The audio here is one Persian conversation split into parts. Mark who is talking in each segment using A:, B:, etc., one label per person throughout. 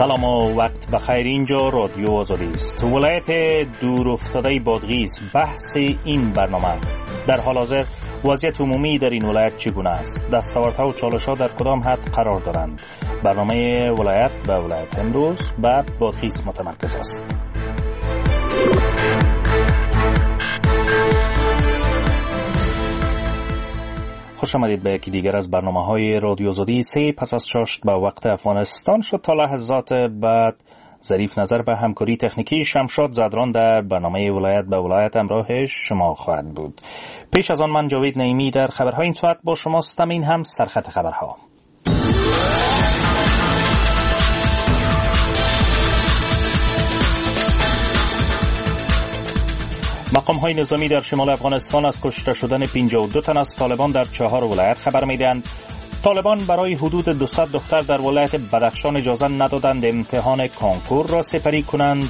A: سلام و وقت بخیر. اینجا رادیو آزادی است. ولایت دور افتاده بادغیس بحث این برنامه. در حال حاضر وضعیت عمومی در این ولایت چگونه است؟ دستاوردها و چالش‌ها در کدام حد قرار دارند؟ برنامه ولایت به ولایت امروز به بادغیس متمرکز است. خوش آمدید به یکی دیگر از برنامه‌های رادیو آزادی. 3 پس از چاشت به وقت افغانستان شد. تا لحظات بعد ظریف نظر به همکاری تکنیکی شمشاد زدران در برنامه ولایت به ولایت همراه شما خواهد بود. پیش از آن من جاوید نعیمی در خبرهای این ساعت با شما هستم. این هم سرخط خبرها. مقام های نظامی در شمال افغانستان از کشته شدن 52 تن از طالبان در 4 ولایت خبر می‌دهند. طالبان برای حدود 200 دختر در ولایت بدخشان اجازه ندادند امتحان کنکور را سپری کنند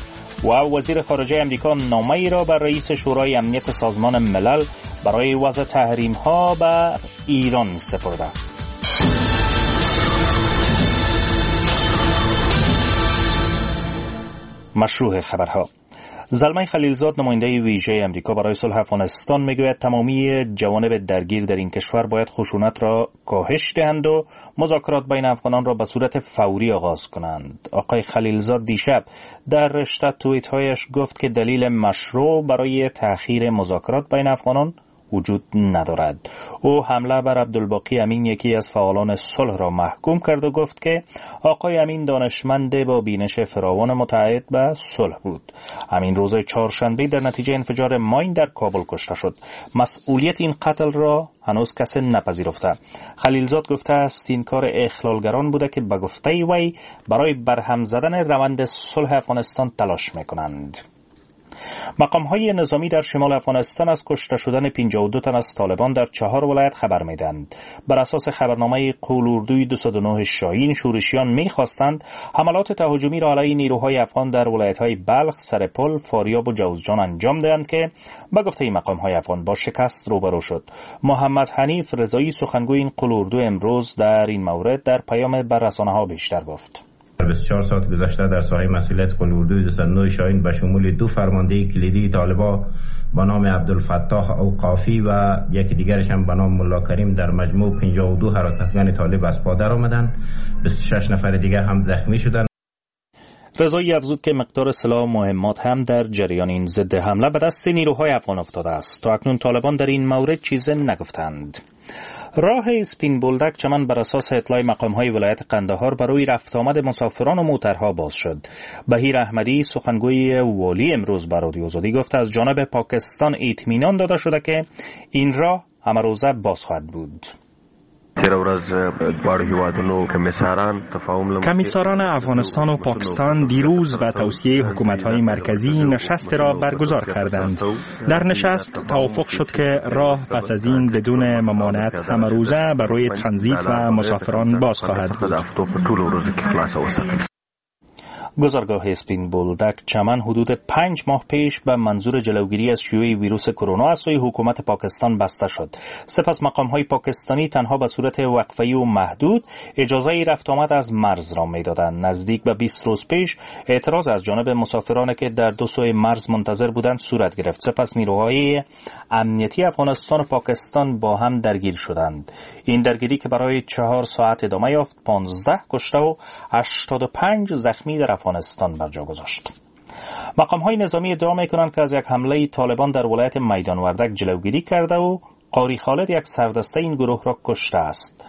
A: و وزیر خارجه امریکا نامه‌ای را بر رئیس شورای امنیت سازمان ملل برای وضع تحریم‌ها بر ایران سپرده. مشروع خبرها. زلمی خلیلزاد نماینده ویژه امریکا برای صلح افغانستان میگوید تمامی جوانب درگیر در این کشور باید خشونت را کاهش دهند و مذاکرات بین افغانان را به صورت فوری آغاز کنند. آقای خلیلزاد دیشب در رشته توییت‌هایش گفت که دلیل مشروع برای تأخیر مذاکرات بین افغانان وجود ندارد. او حمله بر عبدالباقی امین، یکی از فعالان صلح، را محکوم کرد و گفت که آقای امین دانشمند با بینش فراوان متعهد به صلح بود. امین روز چهارشنبه در نتیجه انفجار ماین در کابل کشته شد. مسئولیت این قتل را هنوز کسی نپذیرفته. خلیلزاد گفته است این کار اخلالگران بوده که به گفته وی برای برهم زدن روند صلح افغانستان تلاش میکنند. مقام های نظامی در شمال افغانستان از کشته شدن 52 تن از طالبان در 4 ولایت خبر میدهند. بر اساس خبرنامه قول اردوی 209 شاهین، شورشیان میخواستند حملات تهاجمی را علیه نیروهای افغان در ولایت های بلخ، سرپل، فاریاب و جوزجان انجام دهند که به گفته مقام های افغان با شکست روبرو شد. محمد حنیف رضایی سخنگوی این قول اردو امروز در این مورد در پیام بر رسانه ها بیشتر گفت.
B: 24 ساعت گذشته در ساحه مسئولیت قول اردوی 209 شاهین به شمول 2 فرمانده کلیدی طالبا با نام عبدالفتاح اوقافی و یکی دیگرش هم به نام ملا کریم در مجموع 52 حراستگان طالب از پا در آمدند. 26 نفر دیگر هم زخمی شدند.
A: رضایی افزود که مقدار سلاح و مهمات هم در جریان این ضد حمله به دست نیروهای افغان افتاده است. تا اکنون طالبان در این مورد چیز نگفتند. راه اسپین بولدک چمن بر اساس اطلاع مقام‌های ولایت قندهار برای رفت آمد مسافران و موترها باز شد. بهیر احمدی سخنگوی والی امروز بر رادیو آزادی گفت از جانب پاکستان اطمینان داده شده که این راه همه روزه باز خواهد بود.
C: کمیساران افغانستان و پاکستان دیروز به توصیه حکومت‌های مرکزی نشست را برگزار کردند. در نشست توافق شد که راه پس از این بدون ممانعت همه روزه برای ترانزیت و مسافران باز خواهد بود.
A: گذرگاه اسپین بولدک چمن حدود 5 ماه پیش به منظور جلوگیری از شیوع ویروس کرونا از سوی حکومت پاکستان بسته شد. سپس مقام‌های پاکستانی تنها به صورت وقفه‌ای و محدود اجازه رفت آمد از مرز را می‌دادند. نزدیک به 20 روز پیش اعتراض از جانب مسافران که در دو سوی مرز منتظر بودند صورت گرفت. سپس نیروهای امنیتی افغانستان و پاکستان با هم درگیر شدند. این درگیری که برای 4 ساعت ادامه یافت، 15 کشته و 85 زخمی در افغانستان بر جا گذاشت. مقام های نظامی ادعا میکنند که از یک حمله طالبان در ولایت میدان وردک جلوگیری کرده و قاری خالد یک سردسته این گروه را کشته است.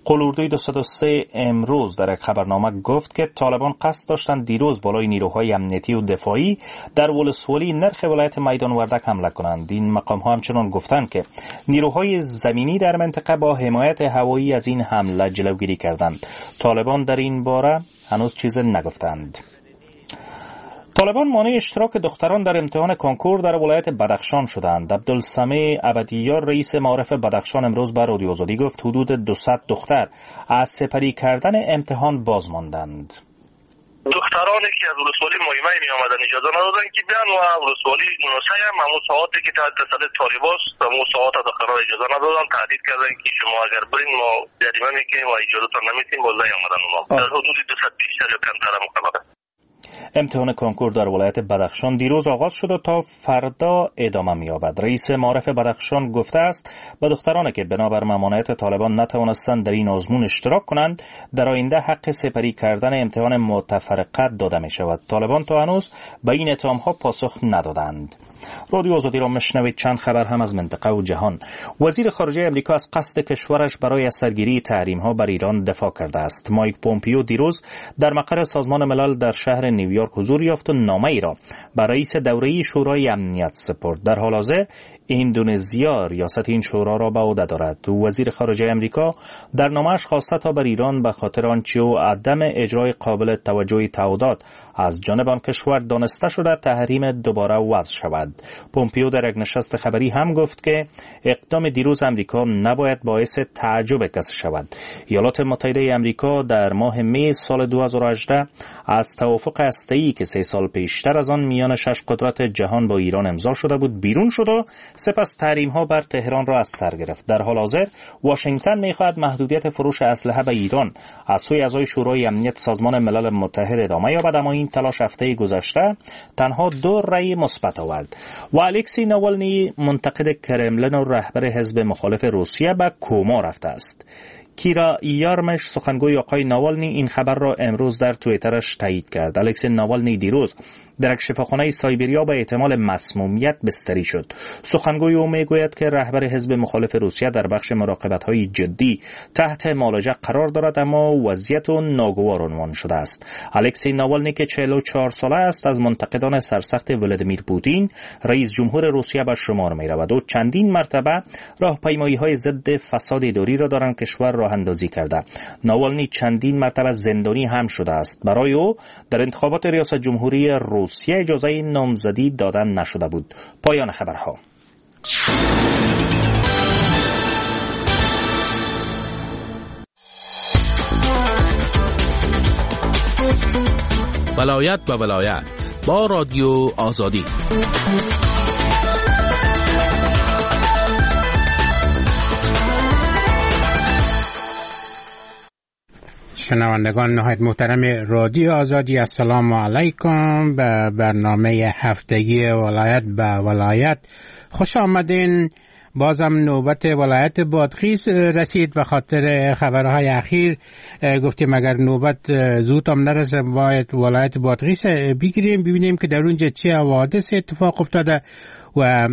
A: قول اردوی 203 امروز در یک خبرنامه گفت که طالبان قصد داشتند دیروز بالای نیروهای امنیتی و دفاعی در ولسوالی نرخ ولایت میدان وردک حمله کنند. این مقام ها همچنان گفتند که نیروهای زمینی در منطقه با حمایت هوایی از این حمله جلوگیری کردند. طالبان در این باره هنوز چیز نگفتند. طالبان مانع اشتراک دختران در امتحان کنکور در ولایت بدخشان شدند. عبدالسمیع ابدیار رئیس معارف بدخشان امروز بر رادیو آزادی گفت حدود 200 دختر از سپری کردن امتحان باز ماندند.
D: دخترانی که از ولسوالی مایمه می آمدن اجازه ندادن که بیان و ولسوالی نوسه هم همون ساعتی که تحت تسلط طالباست و همون ساعت دختران اجازه ندادن، تهدید کردن که شما اگر برین ما جریمه میکنیم و اجازه تان نمیتیم. باز نیامدن اونا. در حدود 200 بیشتر یا کمتر مخبره.
A: امتحان کنکور در ولایت بدخشان دیروز آغاز شد و تا فردا ادامه می‌یابد. رئیس معارف بدخشان گفته است به دخترانی که بنابر ممانعت طالبان نتوانستند در این آزمون اشتراک کنند، در آینده حق سپری کردن امتحان متفرقه داده می شود. طالبان تا هنوز به این اتهام‌ها پاسخ ندادند. رادیو آزادی را مشنوید. چند خبر هم از منطقه و جهان. وزیر خارجه امریکا از قصد کشورش برای از سرگیری تحریم ها بر ایران دفاع کرده است. مایک پومپیو دیروز در مقر سازمان ملل در شهر نیویورک حضور یافت و نامه ای را برای رئیس دوره‌ای شورای امنیت سپرد. در حال حاضر اندونزیا ریاست این شورا را به عهده دارد. وزیر خارجه امریکا در نامه‌اش خواسته تا بر ایران به خاطر آنچه او عدم اجرای قابل توجه تعهدات از جانب آن کشور دانسته شده تحریم دوباره وضع شود. پومپیو در یک نشست خبری هم گفت که اقدام دیروز امریکا نباید باعث تعجب کسی شود. ایالات متحده امریکا در ماه می سال 2018 از توافق هسته‌ای که 3 سال پیشتر از آن میان 6 قدرت جهان با ایران امضا شده بود بیرون شد و سپس تحریم ها بر تهران را از سر گرفت. در حال حاضر واشنگتن میخواهد محدودیت فروش اسلحه به ایران از سوی اعضای شورای امنیت سازمان ملل متحد ادامه یابد، اما این تلاش هفته گذشته تنها 2 رأی مثبت آورد. و الکسی ناوالنی منتقد کرملین و رهبر حزب مخالف روسیه به کوما رفته است. کیرا یارمش سخنگوی آقای ناوالنی این خبر را امروز در توییترش تایید کرد. الکسی ناوالنی دیروز در یک شفاخانه سایبریا به احتمال مسمومیت بستری شد. سخنگوی او میگوید که رهبر حزب مخالف روسیه در بخش مراقبت‌های جدی تحت معالجه قرار دارد، اما وضعیت او ناگوار عنوان شده است. الکسی ناوالنی که 44 ساله است از منتقدان سرسخت ولادیمیر پوتین رئیس جمهور روسیه به شمار می‌رود. او چندین مرتبه راهپیمایی‌های ضد فساد اداری را در آن کشور راه اندازی کرده. ناوالنی چندین مرتبه زندانی هم شده است. برای او در انتخابات ریاست جمهوری روسیه اجازه نامزدی دادن نشده بود. پایان خبرها.
E: ولایت به ولایت با رادیو آزادی.
F: شنوندگان نهایت محترم رادیو آزادی، السلام علیکم. به برنامه هفتگی ولایت به ولایت خوش آمدین. بازم نوبت ولایت بادغیس رسید. به خاطر خبرهای اخیر گفتیم اگر نوبت زود هم نرسه باید ولایت بادغیس بگیریم، ببینیم که در اونجا چه حوادث اتفاق افتاده و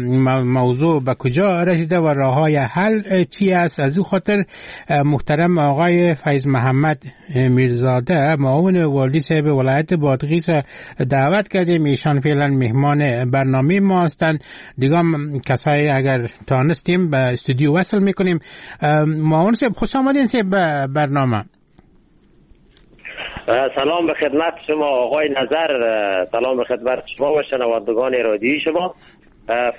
F: موضوع به کجا رسیده و راه‌های حل چی است. از او خاطر محترم آقای فیض محمد میرزاده معاون والی صاحب ولایت بادغیس دعوت کردیم. ایشان فعلا مهمان برنامه ما هستند. دیگه کسایی اگر تانستیم به استودیو وصل میکنیم. معاون صاحب خوش آمدین صاحب به برنامه.
G: سلام به خدمت شما آقای نظر، سلام به خدمت شما و شنوندگان رادیویی شما.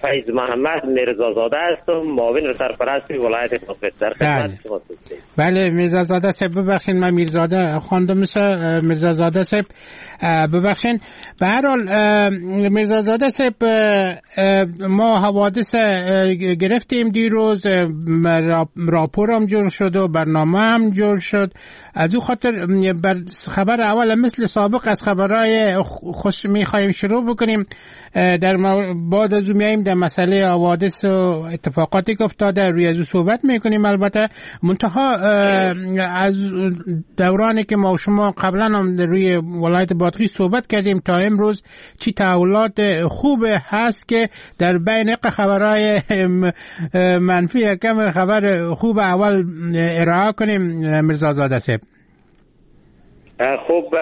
G: فیض محمد میرزازاده هستم، معاون سرپرست ولایت بادغیس. در خدمت شما هستم.
F: بله میرزازاده صاحب، ببخشید من میرزاده خواندم، میرزازاده صاحب ببخشید. به هر حال میرزازاده صاحب، ما حوادث گرفتیم دیروز، راپور هم جور شد و برنامه هم جور شد. از او خاطر بر خبر اول مثل سابق از خبرهای خوش میخوایم شروع بکنیم. در بعد از میاییم در مسئله حوادث و اتفاقاتی که افتاده روی از او صحبت میکنیم. البته منتها از دورانی که ما و شما قبلا هم روی ولایت بادغیس صحبت کردیم تا امروز چی تحولات خوب هست که در بین خبرهای منفی کم خبر خوب اول ارائه کنیم. میرزازاده صاحب
G: خوب،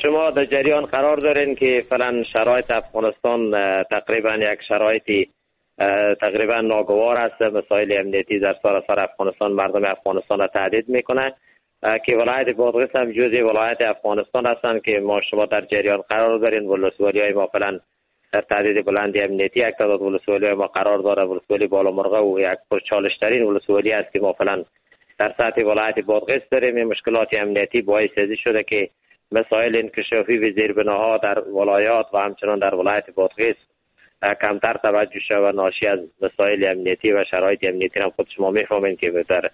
G: شما در جریان قرار دارین که فعلا شرایط افغانستان تقریبا یک شرایطی تقریبا ناگوار است. مسائل امنیتی در سراسر افغانستان مردم افغانستان را تهدید میکنه که ولایت بادغیس هم جزء ولایت افغانستان هستند که ما شما در جریان قرار دارین. ولسوالی‌های ما فعلا در تهدید بلند امنیتی یک تعداد ولسوالی‌های ما قرار داره. ولسوالی بالامرغه و یک پرچالش‌ترین ولسوالی است که ما فعلا در سطح ولایت بادغیس داریم. این مشکلات امنیتی باعث از شده که مسائل انکشافی و زیربناها در ولایات و همچنان در ولایت بادغیس کمتر توجه شده و ناشی از مسائل امنیتی و شرایط امنیتی هم خود شما میفهمین که در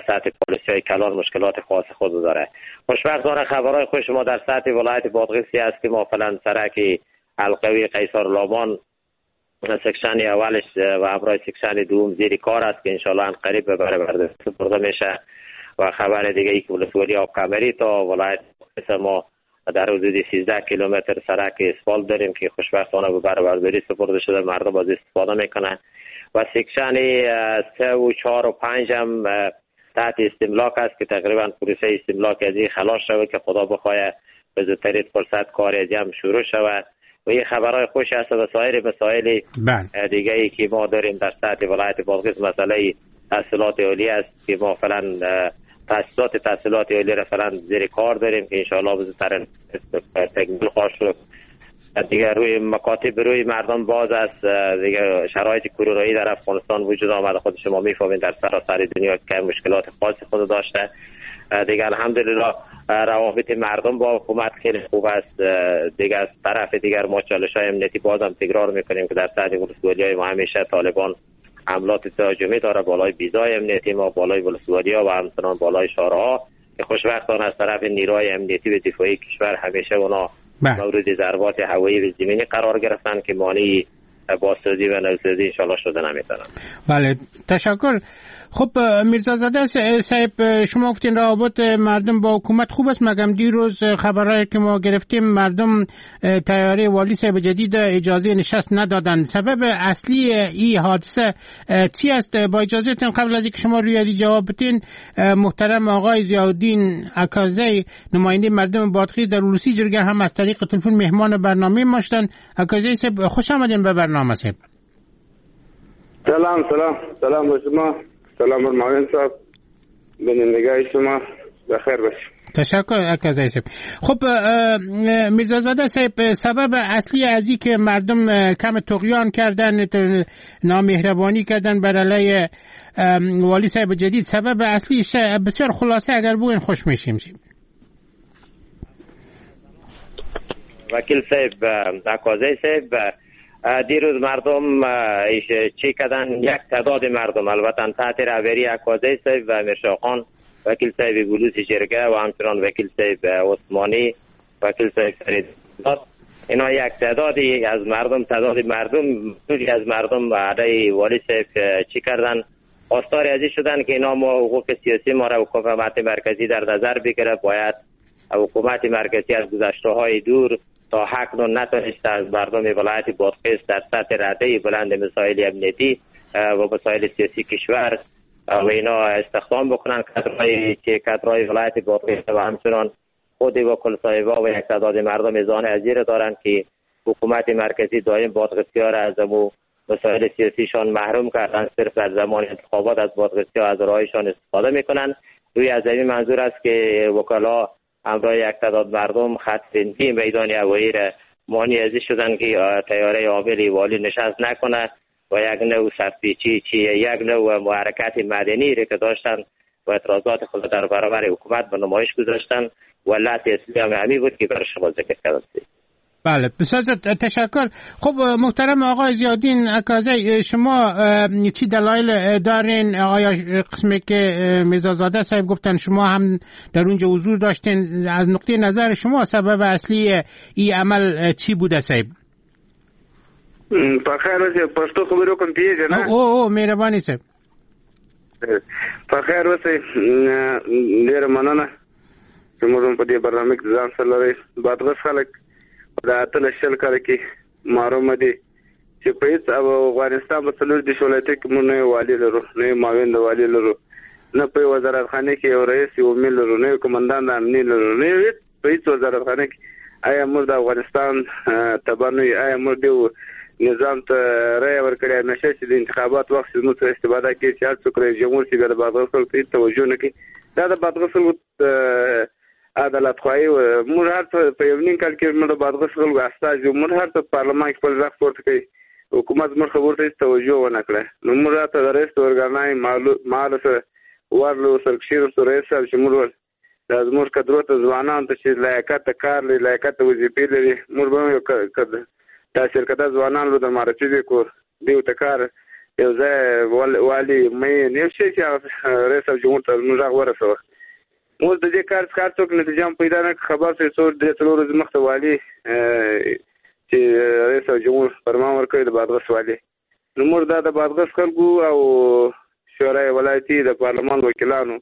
G: سطح پالیسی های کلان مشکلات خاص خود داره. خوشبختانه خبرهای خوش ما در سطح ولایت بادغیس است که ما فعلا سرک حلقوی قیصار لامان section اولش و همراه section دوم زیر کار است که انشالله قریب به بهره برده میشه. و خبر دیگه ای که ولسوالی آب کمری تا ولایت ما در حدود 13 کیلومتر سرک اسفالت داریم که خوشبختانه به بهره برداری سپرده شده، مردم از استفاده میکنن. و section 3 و 4 و 5 هم تحت استملاک است که تقریبا پروسه استملاک از این خلاص شود که خدا بخواه به زودترین فرصت کار از هم شروع شود. و این خبرهای خوش است و سایر مسائل دیگه ای که ما داریم در سطح ولایت بادغیس، مسئله تحصیلات عالی است که ما فعلا تحصیلات عالی را فعلا زیر کار داریم که انشاءالله به زودترین تکمیل خواهد شد. دیگه روی مکاتب روی مردم باز است. دیگه شرایط کرونایی در افغانستان وجود آمده، خود شما میفهمید در سراسر دنیا که مشکلات خاص خود داشته. دیگه الحمدلله روابط مردم با حکومت خیلی خوب است. دیگه از طرف دیگر ما چالش های امنیتی بازم تکرار میکنیم که در سطح ولسوالی‌های ما همیشه طالبان حملات تهاجمی داره بالای بیزای امنیتی ما، بالای ولسوالی‌ها و همچنان بالای شهرها که خوشبختانه از طرف نیروهای امنیتی و دفاعی کشور همیشه اونا مورد ضربات هوایی و زمینی قرار گرفتن که مانع بازسازی و نوسازی انشالله شده نمیتونن.
F: بله تشکر. خب میرزازاده صاحب، شما گفتین روابط مردم با حکومت خوب است، مگم دیروز خبرهایی که ما گرفتیم مردم تیاره والی صاحب جدید اجازه نشست ندادن. سبب اصلی این حادثه چی است؟ با اجازهتون قبل از اینکه شما روی جواب بدین، محترم آقای ضیاءالدین اکازی نماینده مردم بادغیس در ولسی جرگه هم از طریق تلفن مهمان برنامه ما شدن. اکازی صاحب خوش آمدین به برنامه صاحب.
H: سلام سلام سلام به شما، سلام بر معاون صاحب، بینندگاه شما بخیر باشید.
F: تشکر اکازی صاحب. خب میرزازاده صاحب، سبب اصلی از این که مردم کم طغیان کردن، نامهربانی کردن بر علیه والی صاحب جدید، سبب اصلی بسیار خلاصه اگر بگوین خوش میشیم.
G: وکیل صاحب، اکازی صاحب، دیروز مردم چی کردن؟ یک تعداد مردم البته تحت رهبری اکازی صاحب و میرشاخان وکیل صاحب بلوس جرگه و همچنان وکیل صاحب عثمانی، وکیل صاحب فرید، اینا یک تعدادی از مردم، تعداد مردم از مردم علیه والی صاحب چی کردن؟ خواستار ازی شدن که اینا ما حقوق سیاسی ما را حکومت مرکزی در نظر بگیره. باید حکومت مرکزی از گذشته های دور تا حق نتونسته از مردم ولایت بادغیس در سطح رده بلند مسائل امنیتی و مسائل سیاسی کشور و اینا استخدام بکنن کادرهای ولایت بادغیس و همچنان خود و کل صاحبا و یک تعداد مردم زان ازیر دارند که حکومت مرکزی دائم بادغیسی‌ها را از امو مسائل سیاسیشان محروم کردن، صرف در زمان انتخابات از بادغیسی‌ها از رایشان استفاده میکنن. روی از این منظور است که وکلا همراه یک تعداد مردم خط بندی میدان هوایی را مانع از شدن که طیاره عامل والی نشست نکنه و یک نوع سرپیچی چی یک نوع محرکت مدنی را که داشتن و اعتراضات خود در برابر حکومت به نمایش گذاشتن و علت اصلی هم همی بود که برای شما ذکر کردم.
F: بله بسیار تشکر. خب محترم آقای ضیاءالدین اکازی، شما چی دلایل دارین؟ آیا قسمی که میرزازاده صاحب گفتن شما هم در اونجا حضور داشتین، از نقطه نظر شما سبب اصلی این عمل چی بوده صاحب؟
H: په خیر اوسئ. پښتو خبرې وکړم پیږي نه؟
F: او مهرباني صاحب.
H: په خیر اوسئ، ډېره مننه چې موږ هم په دې برنامه کې ځان سره لرئ. بادغیس خلک د 18 20 کاله کې محروم دي چې په هېڅ افغانستان په 34 ولایتو کې موږ نه یو والي لرو، نه یو معاون د والي لرو، نه په یو وزارتخانه کې یو رئیس یو امیر لرو، نه یو قومندان د امني لرو، نه یو هېڅ په هېڅ وزارتخانه کې. آیا موږ د افغانستان تبع نه یو؟ آیا موږ دې نظام ته رایه ورکړې؟ همیشه چې د انتخابات وخت شي زموږ سره استفاده کوي چې هر څوک رئیس جمهور شي بیا د بادغیس خلکو ته هېڅ توجه نه کوي. دا د بادغیس خلکو عدالت خواهي. موږ هر څه په یو نیم کال کې موږ د بادغیس خلکو استازي یو، موږ هر څه په پارلمان کې خپل غږ پورته کوي، حکومت زموږ خبرو ته هېڅ توجه ونه کړه. نو موږ راته د رئیس د ارګانای مال سره ورلو سره کښېناستو، رئیس صاحب چې موږ دا زموږ کدرو ته، ځوانانو ته چې لیاقت د کار لري، لیاقت د وظیفې لري، موږ به هم یو تحصیل کده ځوانان له در معرفي وکړو، دیو ته کار یو ځای والي مین یو شی چې هغه رئیس جمهور ته موږ هغه ورسوه. موږ د دې کار څخه څوک نتیجه هم پیدا نه کړه. خبر شو څو درې څلور ورځې مخته والي چې رئیس جمهور فرمان ورکړی د بادغیس والي، نو موږ دا د بادغیس خلکو او شورای ولایتي د پارلمان وکیلانو،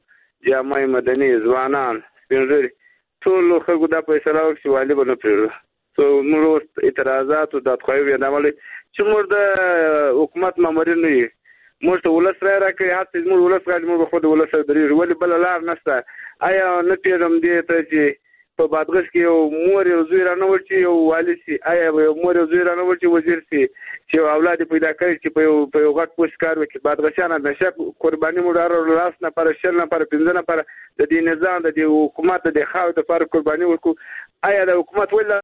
H: جامعه مدني، ځوانان، سپین ږیري، ټولو خلکو دا فیصله وکړه چې والي به نه پرېږدو. څو موږ اوس اعتراضات او دادخواهي بیانولې چې موږ د حکومت مامورین نه یو، موږ ته ولس رایه راکوي، هر څه زموږ ولس غواړي، موږ به خو د ولس سره درېږو، ولې بله لار نشته. آیا نه پوهېږم دې ته چې په بادغیس کې یو مور یو زوی رانه وړ چې یو والي شي، آیا یو مور یو زوی رانه وړ چې وزیر شي، چې یو اولاد یې پیدا کړي چې په یو غټ پوسټ کار وکړي. بادغیسیان همیشه قرباني موږ هره ورځ لس نفره، 20 نفره، 5 نفره د دې نظام، د دې حکومت، د دې خاورې دپاره قرباني ورکړو. آیا د حکومت ولې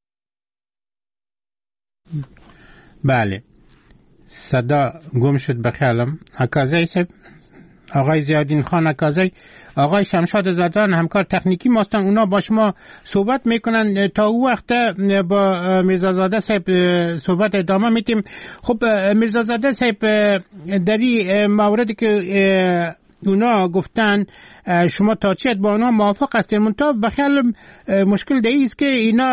F: بله صدا گم شد به خیالم. عکازی صاحب، آقای زیادین خان عکازی، آقای شمشاد زادان همکار تکنیکی ماستن، اونا با شما صحبت میکنن. تا او وقت با میرزازاده صاحب صحبت ادامه میتیم. خب میرزازاده صاحب، در این موردی که اونا گفتن شما تا چه با اونا موافق هستین، منتها به خیال مشکل در است که اینا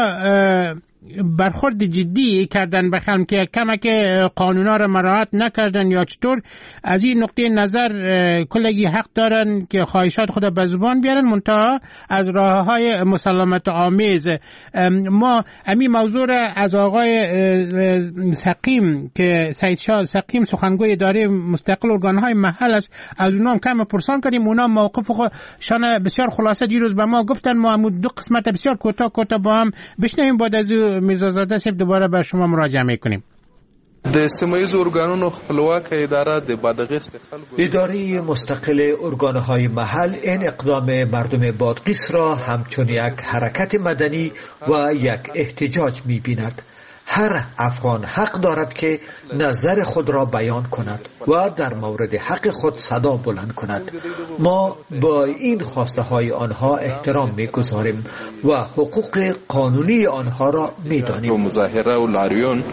F: برخورد جدی کردن به خیالم که کمک قانونا را مراعات نکردن یا چطور. از این نقطه نظر کلگی حق دارن که خواهشات خود به زبان بیارن، منتها از راه های مسالمت آمیز. ما همین موضوع را از آقای سقیم که سید شاه سقیم سخنگوی اداره مستقل ارگانهای محل است، از اونها هم کم پرسان کردیم. اونا موقف خودشان بسیار خلاصه دیروز به ما گفتن. ما هم دو قسمت بسیار کوتاه کوتاه با هم بشنویم، بعد از میرزازاده صاحب دوباره به شما مراجعه میکنیم.
I: د سیمه ییزو ارګانونو خپلواکه اداره د بادغیس د خلکو
J: اداره مستقل ارگانهای محل این اقدام مردم بادغیس را همچون یک حرکت مدنی و یک احتجاج می‌بیند. هر افغان حق دارد که نظر خود را بیان کند و در مورد حق خود صدا بلند کند. ما با این خواسته های آنها احترام می گذاریم و حقوق قانونی آنها را می دانیم.
I: مظاهره و لاریون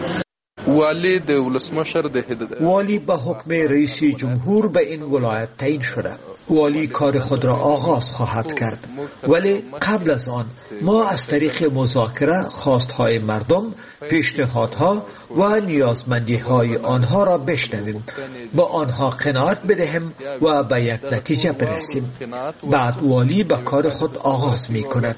I: والی د ولسمشر د
J: والی به حکم رئیس جمهور به این ولایت تعیین شده. والی کار خود را آغاز خواهد کرد، ولی قبل از آن ما از طریق مذاکره خواستهای مردم، پیشنهادها و نیازمندی‌های آنها را بشنویم، با آنها قناعت بدهیم و به یک نتیجه برسیم. بعد والی به کار خود آغاز می کند.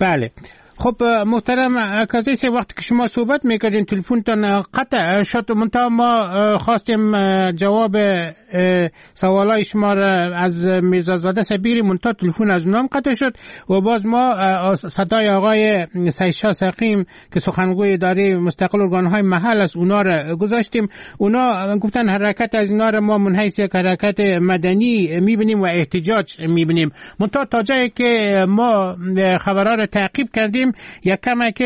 F: بله خب محترم عکازی، وقتی که شما صحبت میکردین تلفنتان قطع شد، منتها ما خواستیم جواب سوالای شما را از میرزازاده صاحب بگیریم، منتها تلفن از اونام قطع شد و باز ما صدای آقای سید شاه سقیم که سخنگوی اداره مستقل ارگانهای محل است اونا را گذاشتیم. اونا گفتن حرکت از اینا را ما منحیث یک حرکت مدنی میبینیم و احتجاج میبینیم. منتها تا جایی که ما خبرها را تعقیب کردیم، یک کمک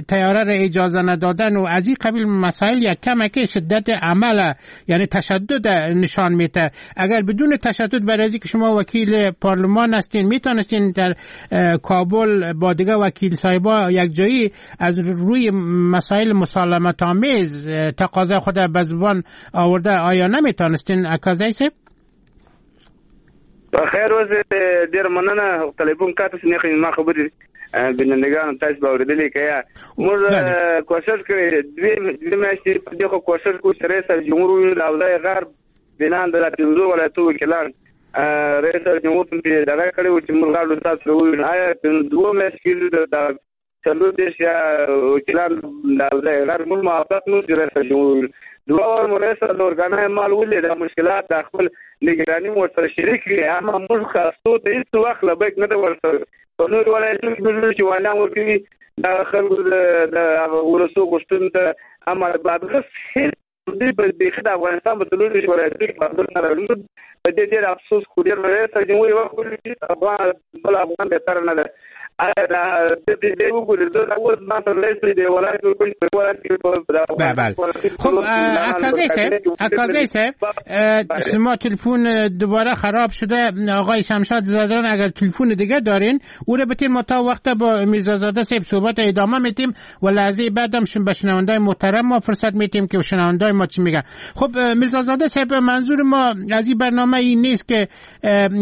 F: تیاره را اجازه ندادن و از این قبیل مسائل یک کمک شدت عمل یعنی تشدد نشان میده. اگر بدون تشدد، برای که شما وکیل پارلمان هستین، میتونستین در کابل با دیگه وکیل صاحبا یک جایی از روی مسائل مسالمت آمیز تقاضا خود به زبان آورده، آیا نمیتونستین عکازی صاحب؟
H: خیر اوسې، ډېر مننه. تلیفون کاته نه ما خبرې بینندگان تاسو به اورېدلې که یا موږ کوشش کړی دوې میاشتې په دې خو کوشش کوو چې رئیس جمهور ووینو د اوضاع غرب بنان د پنځو ولایتو وکیلان رئیس جمهور ته دغه کړی و چې موږ غواړو تاسو سره ووینو. آیا دوه میاشتې کېږي د 34 یا وکیلان د اوضاع غرب موږ موافق نه چې رئیس جمهور ووینو. دوه وار مو رئیس د ارګانهای مال ولید، دا مشکلات د خپل نګراني مو ورسره شریک کړي، اما موږ خاصو ته هېڅ وخت لبیک نه ده ورسره. په نورو ولایتونو کې موږ چې والیان ورکوي دا خلکو د هغه ولسو غوښتنو ته، اما د بادغیس هېڅ دوی په بیخي د افغانستان په 24 ولایتونو کې بادغیس نه راغلي. موږ په دې ډېر افسوس کوو. ډېر رئیس جمهور یې وخت ولید چې افغان بل افغان بهتره نه ده.
F: بله. خب اکازی صاحب، شما تلفن دوباره خراب شده. آقای شمشاد زادران اگر تلفن دیگه دارین او رو بتیم، ما تا وقت با میرزازاده صاحب صحبت ادامه میتیم و لحظه بعدم به شنوندای محترم ما فرصت میتیم که شنوندای ما چی میگن. خب میرزازاده صاحب، منظور ما از این برنامه این نیست که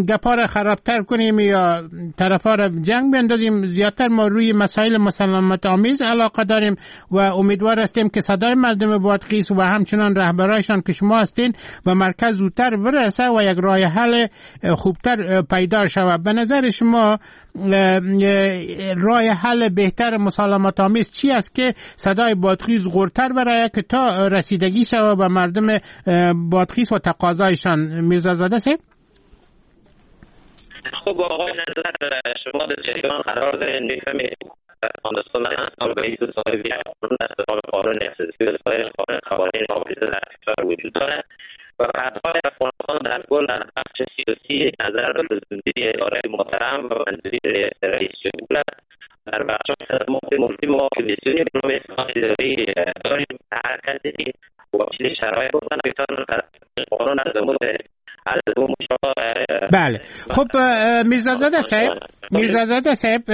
F: گپا را خرابتر کنیم یا طرفا را جنگ بندازیم. زیادتر ما روی مسائل مسالمت آمیز علاقه داریم و امیدوار هستیم که صدای مردم بادغیس و همچنان رهبرایشان که شما هستین و مرکز زودتر برسه و یک راه حل خوبتر پیدا شود. به نظر شما راه حل بهتر مسالمت آمیز چی است که صدای بادغیس غورتر برای که تا رسیدگی شود به مردم بادغیس و تقاضایشان؟ میرزازاده صاحب.
G: خب آقای نظر، شما در جریان قرار دارین، میفهمید افغانستان سال به ایست صاحب یک قانون است، قانون اساسی و سایر قوانین حافظه در کشور وجود داره و بعدهای افغانستان در کل در بخش سیاسی نظر به منظوری اداره محترم و منظوری رئیس جمهور است. در بخش خدمات ملکی ما کمیسیونی به نام اصلاح اداری داریم. هر کسی که واجد شرایط بودن بتواند قانون از
F: بله. خب میرزازاده صاحب،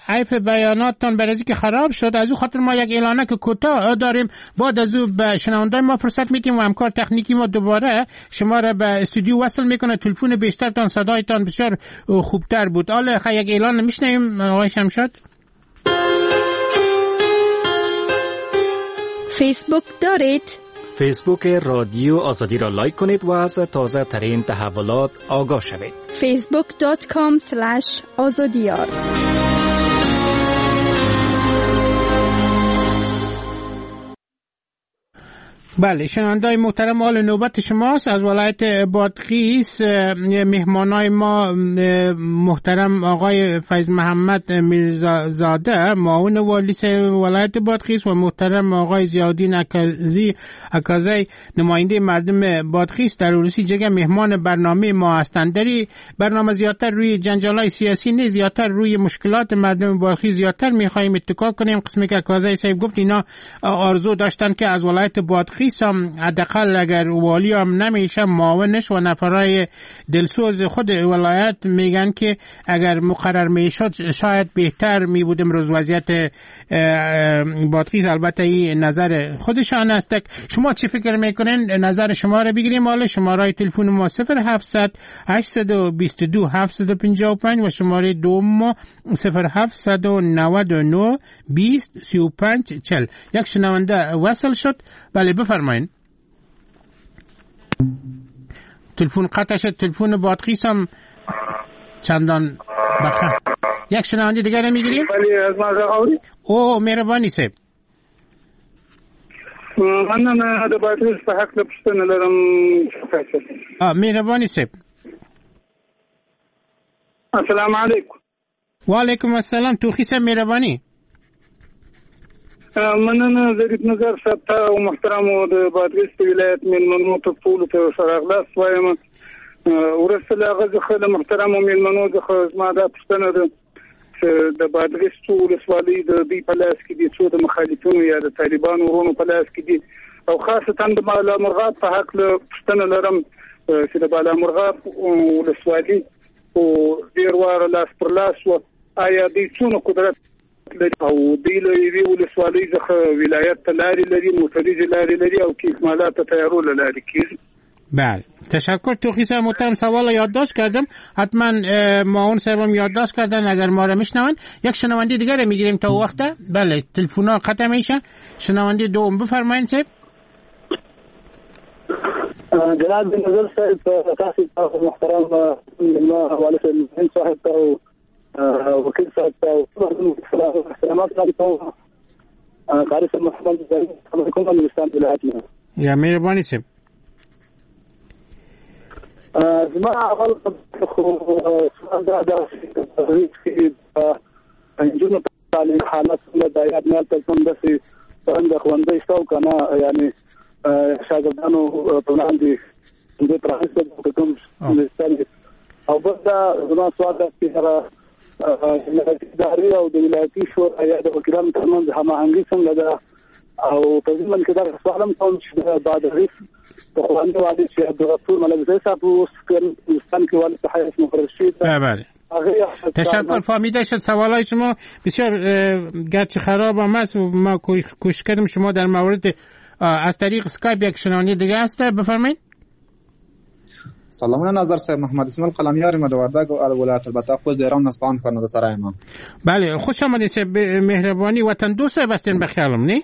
F: عیب بیاناتتان برای که خراب شد، از او خاطر ما یک اعلانه که کوتاه داریم، بعد از او به شنوندای ما فرصت میتیم و همکار تکنیکی ما دوباره شما را به استودیو وصل میکنه. تلفن بیشترتان صدایتان بسیار خوبتر بود. حالا یک اعلان میشنویم آقای شمشاد.
K: فیسبوک دارید؟
L: فیسبوک رادیو آزادی را لایک کنید و از تازه ترین تحولات آگاه شوید.
K: facebook.com/azadiar.
F: بله شنوندای محترم، حال نوبت شماست. از ولایت بادغیس مهمانای ما محترم آقای فیض محمد میرزازاده معاون والی ولایت بادغیس و محترم آقای ضیاءالدین اکازی نماینده مردم بادغیس در روسی جگه مهمان برنامه ما هستند. در برنامه زیادتر روی جنجال‌های سیاسی نه، زیادتر روی مشکلات مردم بادغیس زیادتر می‌خواهیم اتکا کنیم. قسمی که اکازی صاحب گفت اینا آرزو داشتن که از ولایت بادغیس هم حداقل اگر والی هم نمیشه معاونش و نفرای دلسوز خود ولایت میگن که اگر مقرر میشد شاید بهتر میبود امروز وضعیت بادغیس. البته این نظر خودشان است. شما چی فکر میکنین؟ نظر شما رو بگیریم. حالا شماره تلفن ما 0700 822 755 و شماره دوم ما 0799 20 35 40. یک شنونده وصل شد. بله بفرمایین. تلفن قطع شد. تلفن بادغیس هم چندان بخیر. یک شنونده دیگر میگیریم.
M: بله از ما اوري.
F: او مهرباني صاحب.
M: مننه د بادغیس په حق له پوښتنه لرم.
F: مهرباني صاحب.
M: السلام علیکم.
F: وعلیکم السلام. توخی صاحب مهرباني.
M: مننه ظریف نظر صاحب ته او محترمو د بادغیس د ولایت میلمنو ته ټولو ته ښه راغلاست وایم. وروسته له هغه څخه له محترمو میلمنو څخه زما دا پوښتنه ده چې د بادغیس څو ولسوالۍ د دوی په لاس کې دي، څو د مخالفینو یا د طالبانو وروڼو په لاس کې دي، او خاصتاً د بالامرغاب په هکله پوښتنه لرم چې د بالامرغاب ولسوالي او ډېر واره لاس پر لاس وه، آیا دوی څونه قدرت لري او دوی له یوې ولسوالۍ څخه ولایت ته لارې لري، موټریزې لارې لري او که اکمالات ته تیارو له لارې کېږي؟
F: بله تشکر توخی صاحب محترم. سوال یادداشت کردم، حتما معاون صاحبم یادداشت کردن اگر ما را میشنون. یک شنونده دیگر رو میگیریم تا وقته. بله تلفن قطع میشه. شنونده دوم بفرمایید صاحب.
N: جناب نظر صاحب تاسو محترم والد صاحب او وکیل صاحب احترامات قاری صاحب محمد علیکم ولایت
F: یا مهرباني صاحب.
N: زما اول خو سوال دا ده چې نجونو تعلیم حالت څنګه ده، یا نه تل کوم داسې څنګه ښوونځی شته او که نه، یعنې شاګردانو په وړاندې د پرانیستل کوم او بل دا زما سوال دا چې هغه ولایتي ادارې او د ولایتي شورا یا د وکیلانو ترمنځ هماهنګي څنګه ده؟ او په ضمن کې دا سوال هم کوم چې د بادغیس پخوانی والي چې عبدالغفور ملکزی صاحب اوس هندوستان کې والي په حیث مقرر شوی ده.
F: بله، تشکر، فهمیده شد سوالای شما. بسیار گرچه خراب هم است و ما کوشش کردیم شما در مورد از طریق اسکایپ یک شنونده دیگه هست، بفرمایید.
O: سلامونه نظر صاحب، محمد اسماعیل قلمیار یم د وردګو ولایت، البته خو د ایران اصفهان ښار سره یم.
F: بله، خوش آمدید صاحب، مهربانی وطن دوست صاحب هستین به خیالم، نه؟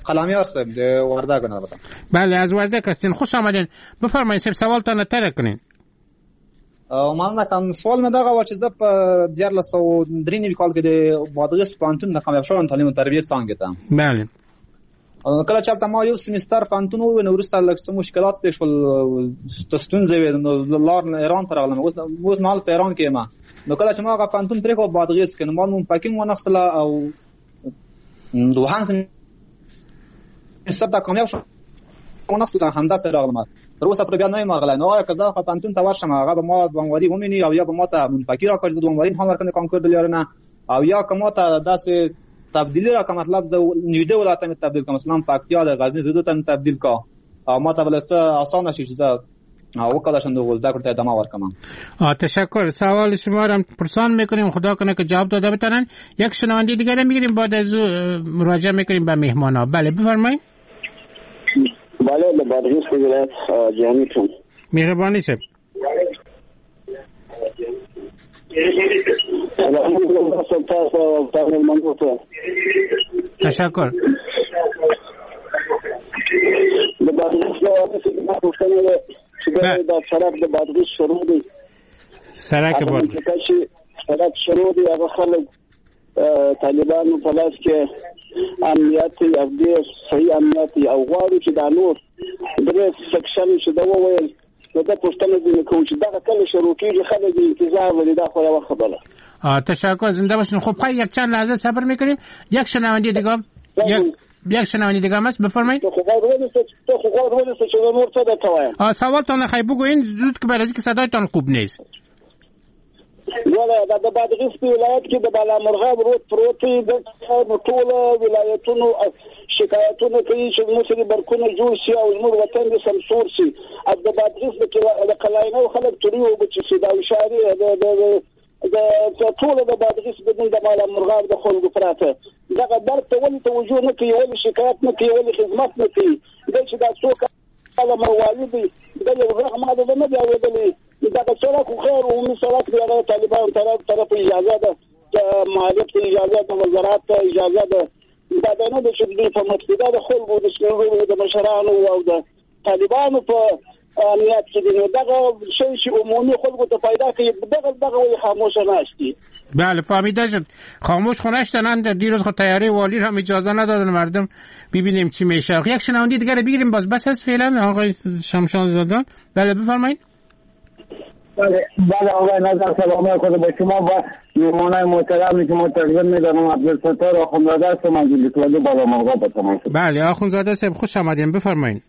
O: قلمیار صاحب د وردګو نه البته.
F: بله، از وردګ هستین، خوش آمدین. بفرمایید صاحب، سوالتان طرح کنین.
O: مننه کوم. سوال مې دغه و چې زه په 1393 کال کې د بادغیس پوهنتون د کامیاب شوم تعلیم او تربیې څانګې ته.
F: بله.
O: کله چې هلته ما یو سمستر پوهنتون وویل، نو وروسته لږ څه مشکلات پېښ شول، ستونزې وې، نو لار ایران ته راغلم. اوس مهال په ایران کې یم. نو کله چې ما هغه پوهنتون پرېښود بادغیس کې، نو ما نوم پکې ونښتله او دوهم سمستر ته کامیاب شوم ونښتله، همداسې راغلم. تر اوسه پورې بیا نه یم راغلی. نو آیا که زه هغه پوهنتون ته ورشم هغه به ما دوامواري ومیني او یا به ما ته منفکي راکړي چې زه دوامواري امتحان ورکړم د کانکور د لارې نه، او یا که ما ته داسې تبدیلی را که مطلب زه نږدې ولایت ته مې تبدیل کړم، مثلا پکتیا د غزني زه ته مې تبدیل کړه او ما ته به څه اسانه شي چې زه وکولای شم د زده کړو ته ادامه ورکړم.
F: تشکر. سوال شما را پرسان میکنیم، خدا کنه که جواب داده بتونن. یک شنونده دیگه را میگیریم، بعد از مراجعه میکنیم به مهمان ها. بله بفرمایید.
P: بله، د بادغیس ولایت جهاني یم.
F: مهرباني صاحب. تشکر.
P: د بادغیس پوښتنه ده چې دا سړک د بادغیس شروع دی،
F: سړک بادغیس
P: سړک شروع دی، هغه خلک طالبانو په لاس کې امنیت او ډېر صحیح امنیت او غواړو چې دا نور درې سکشن چې دا وویل، نو دا پوښتنه ځینې کوو چې دغه کله شروع کېږي، خلک انتظار لري. دا خو یوه خبره.
F: تشکر، زنده باشین. خب خیلی یک چند لحظه صبر میکنیم. یک شنونده دیگه یک شنونده دیگه هم هست، بفرمایید.
P: تو خو غوږ ونیسه چې زه نور څه درته وایم.
F: سوالتان خی بگوین زود که برای که صدایتان خوب نیست.
P: ولا دا د بادغیس په ولایت کې د بالامرغاب رود پروت دی، د ټولو ولایتونو شکایتونه کوي چې موږ سره برکونه جوړ شي او زموږ وطن دې سمسور شي. او د بادغیس د قلاینو خلک توري اوبه چې شي، دا اشارې د ټولو د بادغیس بدون د بالامرغاب د خلکو پراته دغه برق ته ولې توجه نه کوي، ولې شکایت نه کوي، ولې خدمت نه کوي؟ دا چې دا څو کاله موالي دی، دا یو غږ ما د نه دی اورېدلی. دغه سړک خو خیر عمومي سړک دی، هغه طالبانو طرف اجازه ده، مالک ته اجازه ده، وزارت ته اجازه ده. دا نه ده چې دوی په مټ کې دا د خلکو د سپینږیرو د مشرانو او د طالبانو په امنیت کې دی. نو دغه شی چې عمومي خلکو ته پیدا کوي، دغه ولې خاموشه ناست دي؟
F: بله فهمیده شد. خاموش خو نشتن. دیروز خود تیاره والی هم اجازه ندادن مردم. ببینیم چی میشه. یک شنونده دیگه رو بگیریم باز بس هست فعلا. آقای شمشان زادان، بله بفرمایید.
Q: بله آقای نظر، سلام خود به شما و میهمانای محترمی که ما تقدیم می‌دارم. عبدالستار آخوندزاده هستم از ولسوالی بالامرغاب به تماس.
F: بله آخوندزاده صاحب خوش آمدین، بفرمایید.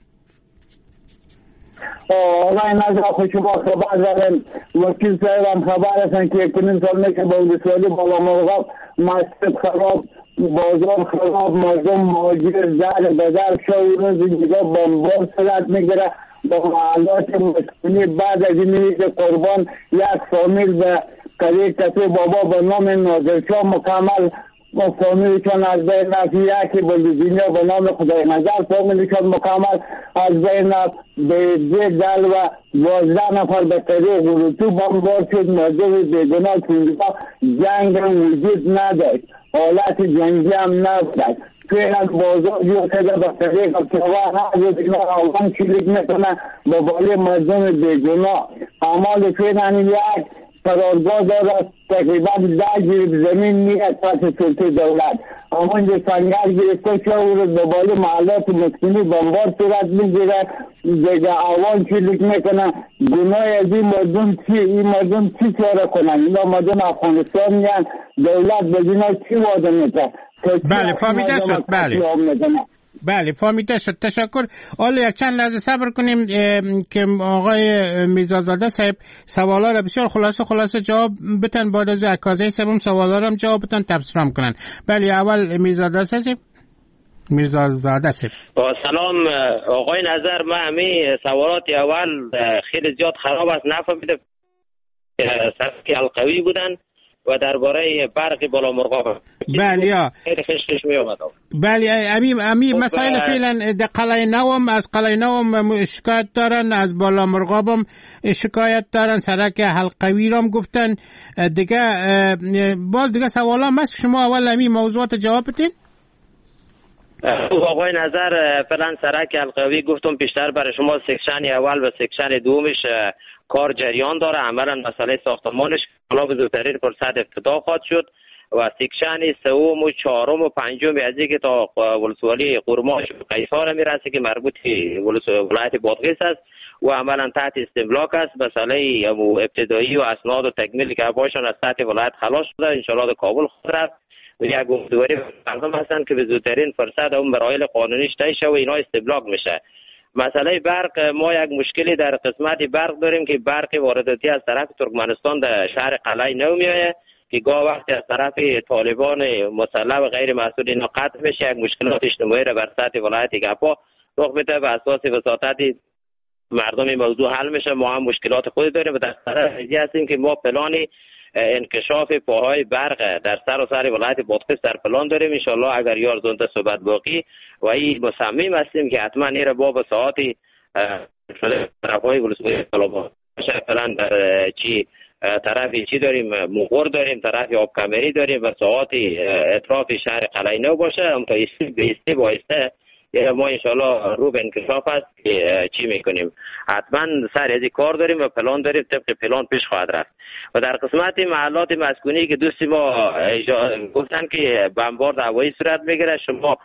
Q: آقای نظر خوش شما خبر داریم، وکیل صاحب هم خبر هستن که 1.5 سال میشه با ولسوالی بالامرغاب مسجد خراب، بازار خراب، مردم مهاجر در به در شو روز دیگه بمبار صورت میگیره با محلات مسکونی. بعد از این که قربان یک فامیل به قریه کسی بابا به نام نادرشاه مکمل فامیلشان از بین رفت، یکی به لوزینیا به نام خدای نظر فامیلشان مکمل از بین رفت. به دل و 12 نفر به طریق غروتو بمبار شد. مردم بیگناه که جنگ هم وجود نداشت، حالت جنگی هم نبود. فعلا بازار جور شده به طریق ابتوا هر روز اینا آوان شلیک میکنن به بالای مردم بیگناه. اعمال فعلا یک قرارگاه داره تقریبا 10 جریب زمین میاد پس سلطه دولت، همونجا سنگر گرفته شده و به بالای محلات مسکونی بمبار صورت میگیره. دیگه آوان شلیک میکنن. گناه از این مردم چی؟ این مردم چی چاره کنن؟ اینا مردم افغانستان میان، دولت به اینا چی وعده میده؟
F: بله فهمیده شد. بله بله فهمیده شد، تشکر. حالا یک چند لحظه صبر کنیم که آقای میرزازاده صاحب سوالا را بسیار خلاصه جواب بتن، بعد از عکازه صاحب هم سوالا را هم جواب بتن، تبصره هم کنن. بله اول میرزازاده صاحب. میرزازاده صاحب.
G: سلام آقای نظر، من همین سوالات اول خیلی زیاد خراب است، نفهمیدم سرک القوی بودن و درباره برق بالا مرغاب.
F: بله
G: خیلی خش می اومد.
F: بله امی مسائل فعلا در قلعه نوم، از قلعه نوم شکایت دارن، از بالا مرغابم شکایت دارن، سرک حلقوی رام گفتن دیگه. باز دیگه سوالا هست، شما اول امی موضوعات جواب بدین.
G: آقای نظر فعلا سرک حلقوی گفتم پیشتر برای شما، section اول و section دومش کار جریان داره، عملا مسئله ساختمانش حالا به زودترین فرصت افتتاح خواهد شد و section سوم و چهارم و پنجم از اینکه تا ولسوالی قرماش و قیصار میرسه که مربوط ولایت بادغیس است و عملا تحت استملاک است. مسئله ابتدایی و اسناد و تکمیل که باشن از تحت ولایت خلاص شده، ان شاء الله کابل خواهد رفت و یک امیدواری مردم هستند که به زودترین فرصت اون مراحل قانونیش طی شه و اینا استملاک میشه. مسئله برق، ما یک مشکلی در قسمت برق داریم که برق وارداتی از طرف ترکمنستان در شهر قلعه نو میآید که گاه وقتی از طرف طالبان مسلح و غیر مسئول اینا قطع میشه، یک مشکلات اجتماعی را بر سطح ولایت گپا رخ میده و اساس وساطت مردم این موضوع حل میشه. ما هم مشکلات خود داریم و در طرف هستیم که ما پلان انکشاف پاهای برق در سراسر ولایت بادغیس در پلان داریم. ان شاء الله اگر یار زنده صحبت باقی و این مصمم هستیم که حتما این را با ساعت شده طرفهای ولسوالی طالبان فعلا در چی طرف چی داریم، مغور داریم، طرف آب کمری داریم و ساعت اطراف شهر قلعه نو باشه، هم تا ایسته بایسته ما انشالله رو به انکشاف است که چی میکنیم. حتما سر از کار داریم و پلان داریم، طبق پلان پیش خواهد رفت. و در قسمت محلات مسکونی که دوستی ما گفتن که بمبارد هوایی صورت میگیره، شما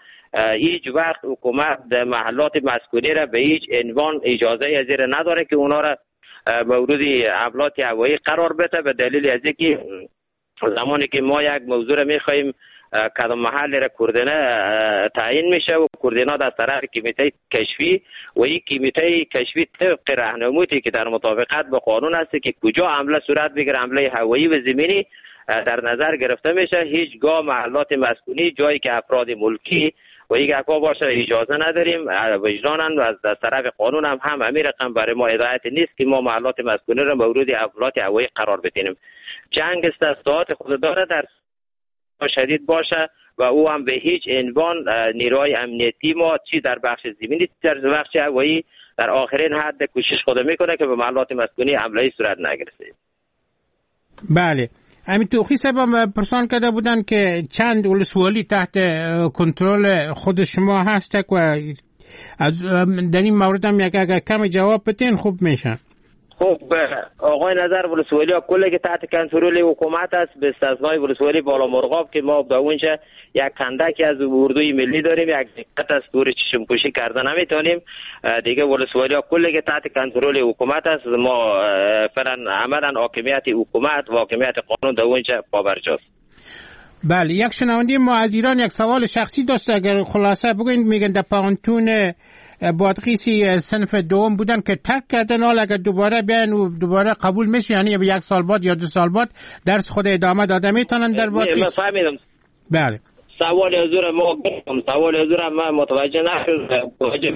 G: هیچ وقت حکومت محلات مسکونی را به هیچ عنوان اجازه از زیر نداره که اونا را مورد حملات هوایی قرار بده، به دلیل از اینکه زمانی که ما یک موضوع را میخواهیم کدام محل را کوردینه تعیین میشه و کوردینات از طرف کمیته کشفی و این کمیته کشفی طبق راهنمایی که در مطابقت با قانون است که کجا حمله صورت بگیره، حمله هوایی و زمینی در نظر گرفته میشه. هیچگاه محلات مسکونی جایی که افراد ملکی و یک اکا باشه اجازه نداریم، وجدانن و از طرف قانون هم همین رقم برای ما هدایت نیست که ما محلات مسکونی را مورد حملات هوایی قرار بدیم. جنگ است، ساعت خود داره، در شدید باشه و او هم به هیچ عنوان نیروهای امنیتی ما چی در بخش زمینی در بخش هوایی در آخرین حد کوشش خود میکنه که به محلات مسکونی حمله صورت نگرفته.
F: بله همین توخی صاحب پرسان کرده بودن که چند ولسوالی تحت کنترل خود شما هست و از در این مورد هم یک اگر کم جواب بدین خوب میشه.
G: خب آقای نظر، ولسوالی ها کلی که تحت کنترل حکومت است به استثنای ولسوالی بالا مرغاب که ما به اونجا یک کندکی از اردوی ملی داریم، یک دقت از دور چشم پوشی کرده نمیتونیم. دیگه ولسوالی ها کلی که تحت کنترل حکومت است، ما فعلا عملا حاکمیت حکومت و حاکمیت قانون در اونجا پابرجاست.
F: بله یک شنونده ما از ایران یک سوال شخصی داشت، اگر خلاصه بگوین. میگن در پانتون بادغیسی صنف دوم بودن که ترک کردن، حالا اگر دوباره بیان و دوباره قبول میشه، یعنی یک سال بعد یا 2 سال بعد درس خود ادامه داده میتونن در بادغیس؟
G: فهمیدم.
F: بله
G: سوال حضور ما گفتم، سوال حضور ما متوجه نشد، متوجه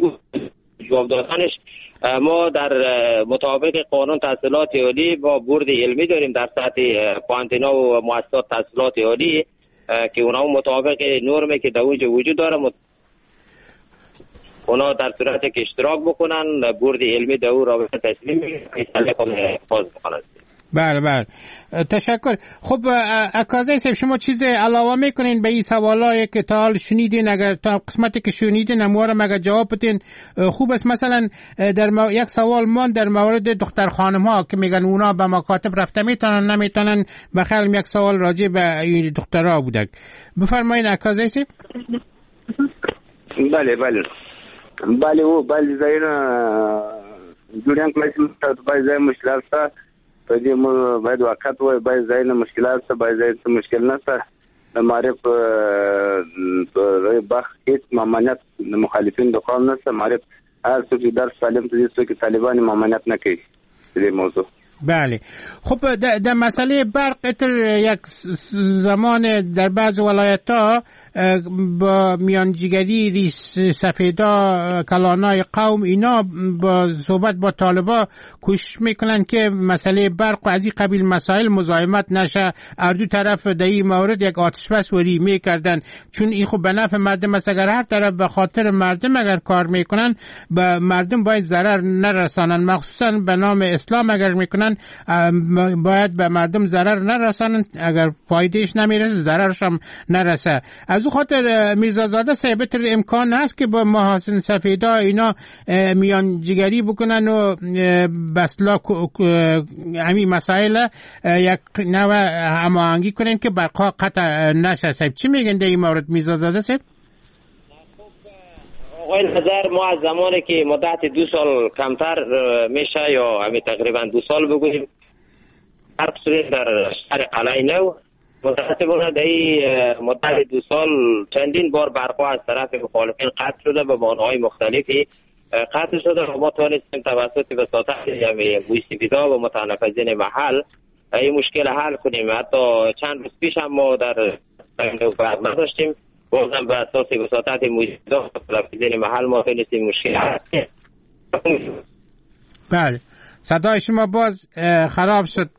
G: جواب دادنش. ما در مطابق قانون تحصیلات عالی با بورد علمی داریم در سطح پانتینا و مؤسسات تحصیلات عالی که اونا مطابق نرمی که در اونجا وجود داره اونا در صورت که اشتراک بکنن بورد علمی در او رابطه تسلیم میشه خود باز بکنن.
F: بله بله تشکر. خب اکازه صاحب شما چیز علاوه میکنین به این سوالایی که تا حال شنیدین؟ اگر تا قسمتی که شنیدین اموارم اگر جواب بدین خوب است. مثلا در یک سوال مان در مورد دختر خانم ها که میگن اونا به مکاتب رفته میتونن نمیتونن، به خیالم یک سوال راجع به این دخترها بوده. بفرمایین اکازه صاحب.
H: بله بله بله او بله ځایونه جوړیان کړای شي، بعضې ځای مشکلات شته، په دې موږ باید واقعیت ووایو، بعضې ځایونه مشکلات شته، بعضې ځای څه مشکل نشته. د معارف په بخش هیڅ ممانعت د مخالفین د قوم نشته. معارف هر څوک چې درس تعلیم ته ځي، څوک طالبان ممانعت نه کوي دې موضوع.
F: بله، خب در مسئله برق یک زمان در بعض ولایت ها با میانجیگری ریس سفیدا کلانای قوم اینا با صحبت با طالبا کوشش میکنن که مسئله برق و از این قبیل مسائل مزاحمت نشه، هر دو طرف در این مورد یک آتش بس وری میکردن، چون این خب به نفع مردم است. اگر هر طرف به خاطر مردم اگر کار میکنن به مردم باید ضرر نرسانن، مخصوصا به نام اسلام اگر میکنن باید به مردم ضرر نرسانن، اگر فایدهش نمیرسه ضررش هم نرسه. از او خاطر میرزازاده صاحب امکان هست که با محاسن سفیدا اینا میانجیگری بکنن و بسلا همین مسائل یک نوع هماهنگی کنن که برقا قطع نشه. صاحب چی میگن در این مورد میرزازاده صاحب؟
G: آقای نظر، ما از زمانی که مدت 2 سال کمتر میشه یا همین تقریبا 2 سال بگوییم حرف شده در شهر قلعه نو، متاسفانه در این مدت 2 سال چندین بار برقا از طرف مخالفین قطع شده، به بهانه‌های مختلفی قطع شده و ما توانستیم توسط وساطت مویسیفیدا و متنفذین محل این مشکل حل کنیم. حتی چند روز پیش هم ما در برق نداشتیم، بازم به اساس وساطت مویسیفیدا و متنفذین محل ما توانستیم مشکل حل کنیم.
F: بله، صدای شما باز خراب شد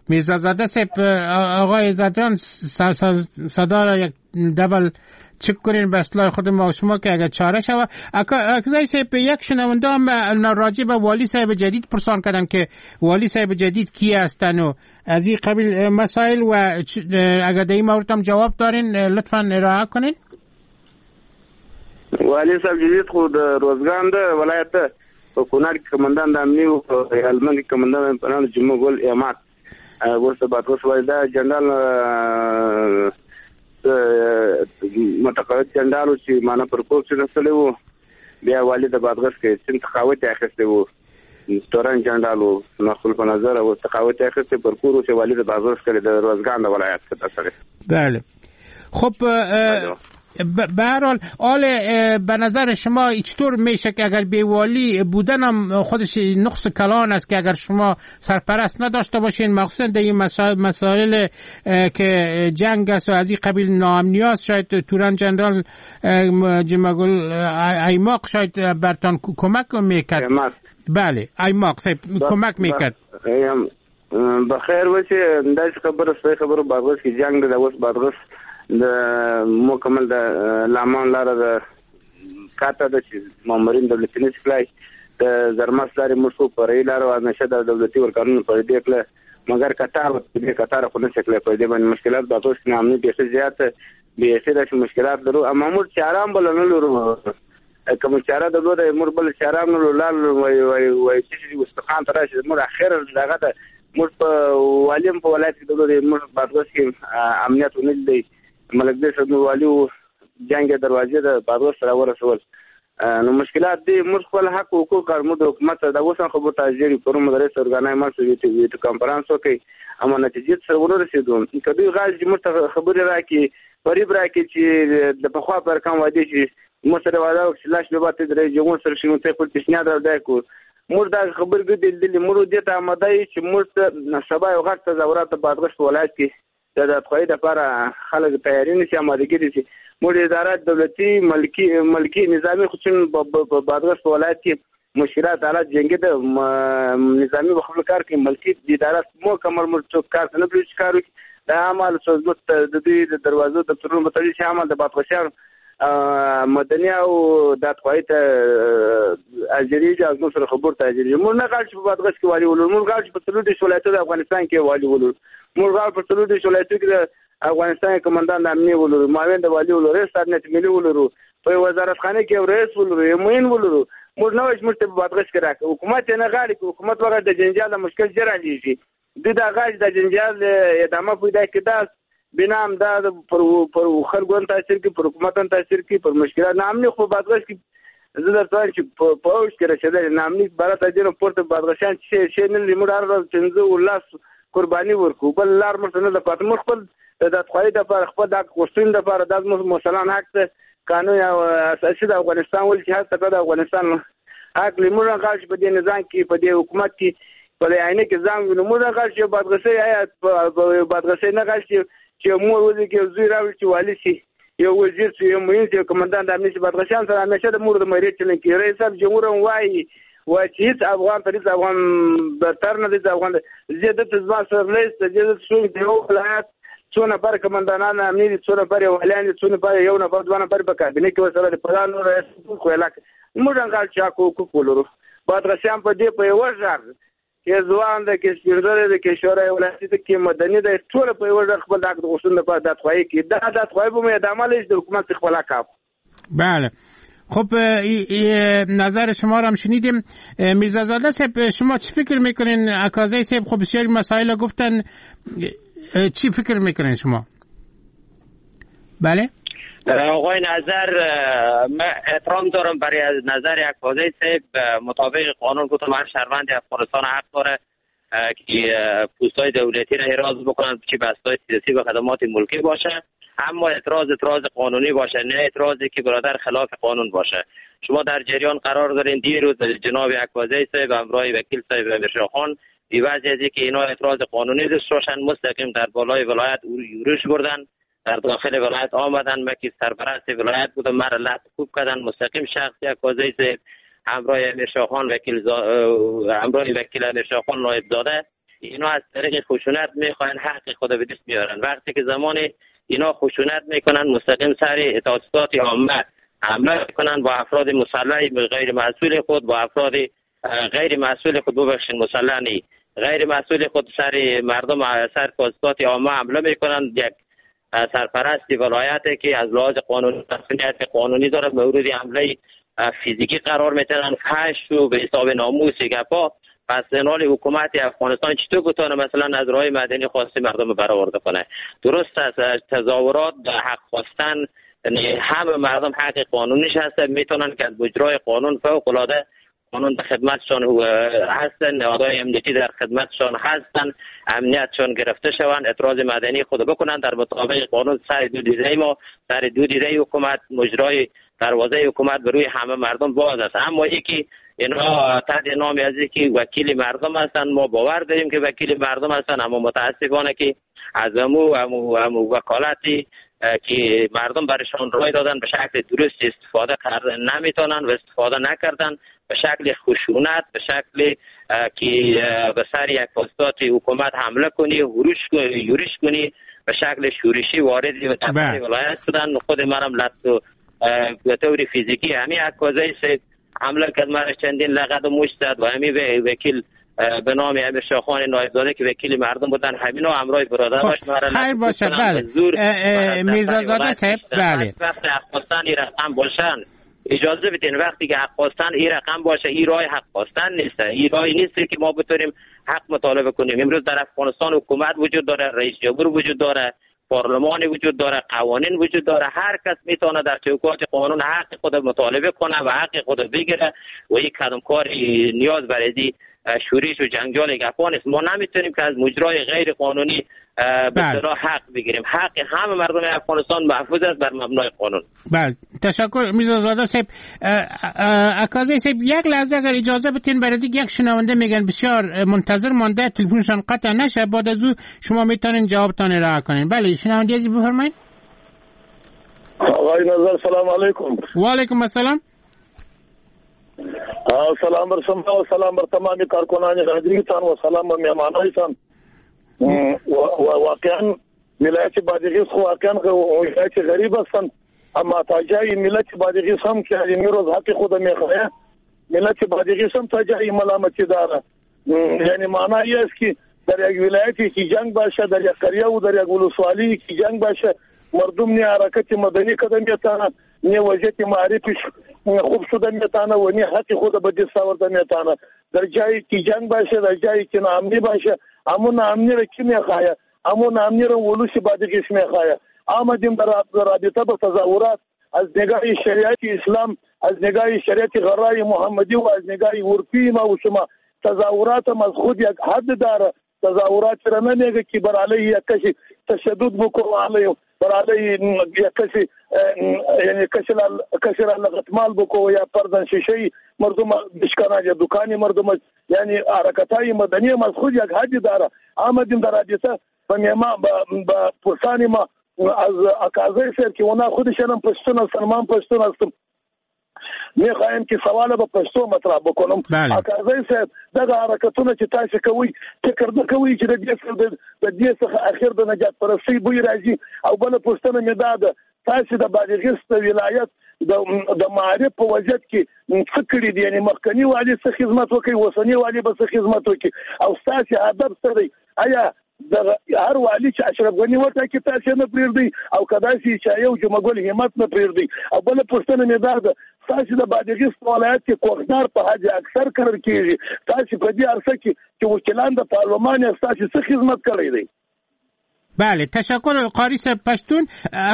F: میرزازاده صاحب. آقای زدران صدا را یک دبل چک کنین به اصلاح خود ما و شما که اگر چاره شوه. اکزای صاحب، یک شنونده هم راجع به والی صاحب جدید پرسان کردن که والی صاحب جدید کی هستن و از این قبیل مسائل، و اگر در این مورد هم جواب دارین لطفا ارائه کنین.
H: والی صاحب جدید خو د روزګان ده ولایت ده، په کونړ کې کمندان د امني او په هلمند کې کمندان په نام جمعه ګل اعماد ورته بادغیس والي دا جنرال متقاعد جنرال چې مانا پر کور کې رسلی وو، بیا والي د بادغیس کې سم تقاعد یې اخیستی وو، تورن جنرال وو، نو خپل په نظر او تقاعد یې اخیستی پر کور چې والي د بادغیس کې د روزګان د ولایت کې ترسره.
F: بله، خب به هر حال آل به نظر شما چطور میشه که اگر بیوالی بودن هم خودش نقص کلان است که اگر شما سرپرست نداشته باشین، مخصوصا در این مسائل که جنگ است و از این قبیل ناامنی است، شاید توران جنرال جمعه‌گل ایماق شاید برتان کمک میکرد. بله، ایماق کمک میکرد.
H: بخیر وسی داسې خبره صحیح خبره. بادغیس کې جنگ ده، اوس بادغیس د مکمل د لامان لاره د کاته ده چې مامورین دولتي نشي کړای، د زرمس لارې موږ خو فرعي لاره وه، نشه د دولتي ورکارونو پر دې کړه، مګر کتار دې کتار خو نشي کړای، پر دې باندې مشکلات بادغیس کې ناامني بیخي زیاته، بیخي داسې مشکلات لرو. اما موږ چاره هم بله نه لرو، که موږ چاره درلوده موږ بله چاره هم نه لرو. لار وایي چې استخوان ته راشي، موږ اخر دغه ده، موږ په والي هم په ولایت کې درلوده، موږ بادغیس کې امنیت ونه لیدی، ملک دې صاحب والي جنگ دروازې د بادغیس سره ورسول، نو مشکلات دي. موږ خپل حق حقوق کار موږ د حکومت د اوس هم خبرو ته حاضر یو، پرون مدرس ارګانای ما سره ویډیو کانفرنس وکړي، اما نتیجې ته سره ونه رسېدو. که دوی غواړي چې موږ ته خبرې راکړي، فریب راکړي چې د پخوا پر کم وعدې چې موږ سره وعده وکړي چې لاس به باته درې جنګون سره شي، نو ته خپل پیشنهاد راوړی کړو. موږ دا خبرې ګرځي لیدلې، موږ دې ته اماده یو چې موږ ته سبا یو غټ تظاهرات د بادغیس په ولایت کې د دادخواهۍ دپاره خلک تیاري نیسي، آمادګي نیسي. موږ ادارات دولتي ملکي نظامي خو چون په بادغیس په ولایت کې مشکلات حالات جنګي ده، نظامي به خپل کار کوي، ملکي ادارات مکمل موږ څوک کار ته نه پرېږدي چې کار وکړي. دا عمل موږ د دوی د دروازو دفترونو به تړلي شي، عمل د بادغیسیانو مدني او دادخواهۍ ته حاضرېږي او زموږ سره خبرو ته حاضرېږي. موږ نه غواړو چې په بادغیس کې والي ولرو، موږ غواړو چې په 34 ولایتونو د افغانستان کې والي ولرو، موږ غواړو په 34 ولایتونو کې د افغانستان کمندان د امنیې ولرو، معاون د والي ولرو، رئیس امنیت ملي ولرو، په وزارتخانه کې یو رئیس ولرو، یو معین ولرو. موږ نه وایو چې موږ ته په بادغیس کې راکړه، حکومت یې نه غواړي، که حکومت وغواړي د جنجال د مشکل ژر حلېږي. دوی دا غواړي د جنجال ادامه پیدا کړي، دا بنا هم دا پر خلکو هم تاثیر کوي، پر حکومت هم تاثیر کوي، پر مشکلات. ناامني خو په بادغیس کې زه درته وایم چې په اوج کې رسېدلې ناامني باره ته دې نو پورته بادغیسیان چې شی نه لري، موږ هره ورځ 5 او 10 قرباني ورکوو، بل لار موږ ته نه ده پاتې. موږ خپل د دادخواهۍ دپاره، خپل د حق غوښتنې دپاره. دا زموږ مسلمان حق دی، قانون اساسي د افغانستان ول چې هر د افغانستان حق لري. موږ غواړو چې په دې نظام کې، په دې حکومت کې، په دې آینه کې ځان وینو. موږ غواړو چې بادغیسۍ، آیا بادغیسۍ نه غواړي چې مور وزېږي، یو زوی راوړي چې والي شي، یو وزیر شي، یو معین شي، یو کمندان د امنیت شي. بادغیسیان سره همیشه د مور د مریض چلن کېږي. رئیس صاحب جمهور هم وایي چې هېڅ افغان تر هېڅ افغان برتر نه دی، هېڅ افغان زه دلته زما سره رئیس دی، زه دلته څوک د یو ولایت څو نفر کمندانان امني دي، څو نفر یې والیان دي، څو نفر یو نفر دوه نفر په کابینه کې ورسره دي. په دا نور رئیس خو علاقه موږ هم غواړو چې حق حقوق ولرو. بادغیسیان په دې په یوه غږ کې ځوان دی، کې سپین ږیری دی، کې شورای ولایتي دی، کې مدني دی، ټول په یوه غږ خپل د حق د غوښتنې لپاره دادخواهي کوي. دا دادخواهي به مو ادامه لري چې د حکومت څخه خپل حق اخلو.
F: بله، خب نظر شما را هم شنیدیم. میرزازاده صاحب، شما چی فکر میکنین؟ عکازی صاحب خب بسیاری مسائل گفتن، چی فکر میکنین شما؟ بله
G: آقای نظر، من احترام دارم برای نظر عکازی صاحب. مطابق قانون گفتم هر شهروند افغانستان حق داره که پوست‌های دولتی را احراز بکنند، چه بست‌های سیاسی و خدمات ملکی باشه، اما اعتراض قانونی باشه، نه اعتراضی که برادر خلاف قانون باشه. شما در جریان قرار دارین دیروز جناب عکازی صاحب همراه وکیل صاحب امیرشاه خان بی وضع از که اینا اعتراض قانونی داشته باشن مستقیم در بالای ولایت یورش بردن، در داخل ولایت آمدن. من که سرپرست ولایت بودم مرا لط کوب کردن. مستقیم شخص عکازی صاحب همراه امیرشاه خان وکیل همراه وکیل امیرشاه خان نایب زاده، اینا از طریق خشونت میخواین حق خود به دست میارن. وقتی که زمان اینا خشونت میکنن مستقیم سر اعتصابات عامه حمله میکنن با افراد مسلح غیر مسئول خود، با افراد غیر مسئول خود، ببخشید مسلح نی، غیر مسئول خود سر مردم، سر اعتصابات عامه حمله میکنن. یک سرپرست ولایت که از لحاظ قانونی مسئولیت قانونی داره مورد حمله فیزیکی قرار میتونن، فحش و به حساب ناموس گپا. پس نال حکومت افغانستان چطور بتونه مثلا از راه مدنی خواسته مردم برآورده کنه؟ درست است تظاهرات حق خواستن همه مردم حق قانونیش هست، میتونن که از اجرای قانون فوق العاده قانون در خدمتشان هستن، نهادهای امنیتی در خدمتشان هستن، امنیتشان گرفته شوند، اعتراض مدنی خود بکنن در مطابق قانون. سر دو دیده ما، سر دو دیده حکومت، مجرای دروازه حکومت بر روی همه مردم باز است. اما یکی اینا تحت نام از که وکیل مردم هستند، ما باور داریم که وکیل مردم هستند، اما متاسفانه که از امو وکالتی که مردم برشان رای دادن به شکل درست استفاده کردن نمیتونن و استفاده نکردن، به شکل خشونت، به شکل که به سر یک پستات حکومت حمله کنی، یورش کنی، به شکل شورشی وارد به ولایت شدن. خود منم لط به طور فیزیکی همین عکازی سید حمله کرد، مرا چندین لغت و مشت زد و همین وکیل به نام امیرشاه خان نایبزاده که وکیل مردم بودن همینا همراه برادرش مرا
F: خیر باشه. بله میرزازاده صاحب، بله
G: وقتی حق خواستن این رقم باشن اجازه بدین، وقتی که حق خواستن این رقم باشه، این راه حق خواستن نیست، این راهی نیست که ما بتونیم حق مطالبه کنیم. امروز در افغانستان حکومت وجود داره، رئیس جمهور وجود داره، پارلمان وجود داره، قوانین وجود داره، هر کس میتونه در چوکات قانون حق خود مطالبه کنه و حق خود بگیره و یک کدام کار نیاز برای شورش و جنجال گپا نیست. ما نمیتونیم که از مجرای غیر قانونی به اصطلاح حق بگیریم. حق همه مردم افغانستان محفوظ است بر مبنای قانون.
F: بله تشکر میرزازاده صاحب. عکازی صاحب یک لحظه اگر اجازه بتین برای یک شنونده میگن بسیار منتظر مانده، تلفنشان قطع نشه، بعد از او شما میتونین جوابتان ارائه کنین. بله شنونده عزیز بفرمایید.
R: آقای نظر سلام علیکم.
F: و علیکم السلام.
R: سلام بر شما و سلام بر تمام کارکنان رادیوتان و سلام بر مهمانایتان. واقعا ولایت بادغیس خو واقعا ولایت غریب هستند، اما تا جای ملت بادغیس هم که امروز حق خود میخواه، ملت بادغیس هم تا جای ملامتی داره. یعنی معنی است که در یک ولایتی که جنگ باشه، در یک قریه و در یک ولسوالی که جنگ باشه، مردم نه حرکت مدنی کده میتونه، نه وضعیت معرفیش خوب شده میتونه و نه حق خود به دست آورده میتونه. در جایی که جنگ باشه، در جایی که ناامنی باشه، همون ناامنی را کی میخواه؟ همون ناامنی را ولوس بادغیس میخواه. آمدیم در رابطه با تظاهرات از نگاه شریعت اسلام، از نگاه شریعت غرای محمدی و از نگاه عرفی ما و شما، تظاهرات هم از خود یک حد داره. تظاهرات را نه لېږه که بر علیه یک کسی تشدد بکو علیه بر علیه یک کسی یعنی کسی را لغتمال بکو یا پردن شیشه مردم بشکنه یا دکان مردم، یعنی حرکتای مدنی از خود یک حدی داره. آمدیم در رابطه با پرسان ما از اکازه صاحب که اونا خودشان هم پشتون هستن، ما هم پشتون هستم، میخوایم که سوال به پښتو مطرح بکنم. اکازه صاحب دغه حرکتونه چې تاسو کوئ فکر نه کوئ چې د دې څخه اخر د نجات پرستۍ بوی راځي؟ او بله پوښتنه مې دا ده، تاسو د بادغیس د ولایت د معارف په وضعیت کې څه کړي دي؟ یعنی مخکني والي څه خدمت وکړي، اوسني والي به څه خدمت وکړي، او ستاسو هدف څه دی؟ آیا هر والي چې اشرف غني وټاکي تاسو نه پرېږدئ، او که داسې چې یو جمعه ګل همت نه پرېږدئ؟ او بله پوښتنه مې دا ده، تاسو د بادغیس په ولایت کې کوکنار په حد اکثر کرل کېږي، تاسو په دې عرصه کې چې وکیلان د پارلمان یاست، تاسو څه خدمت کړی دی؟
F: بله، تشکر قاری صاحب پشتون.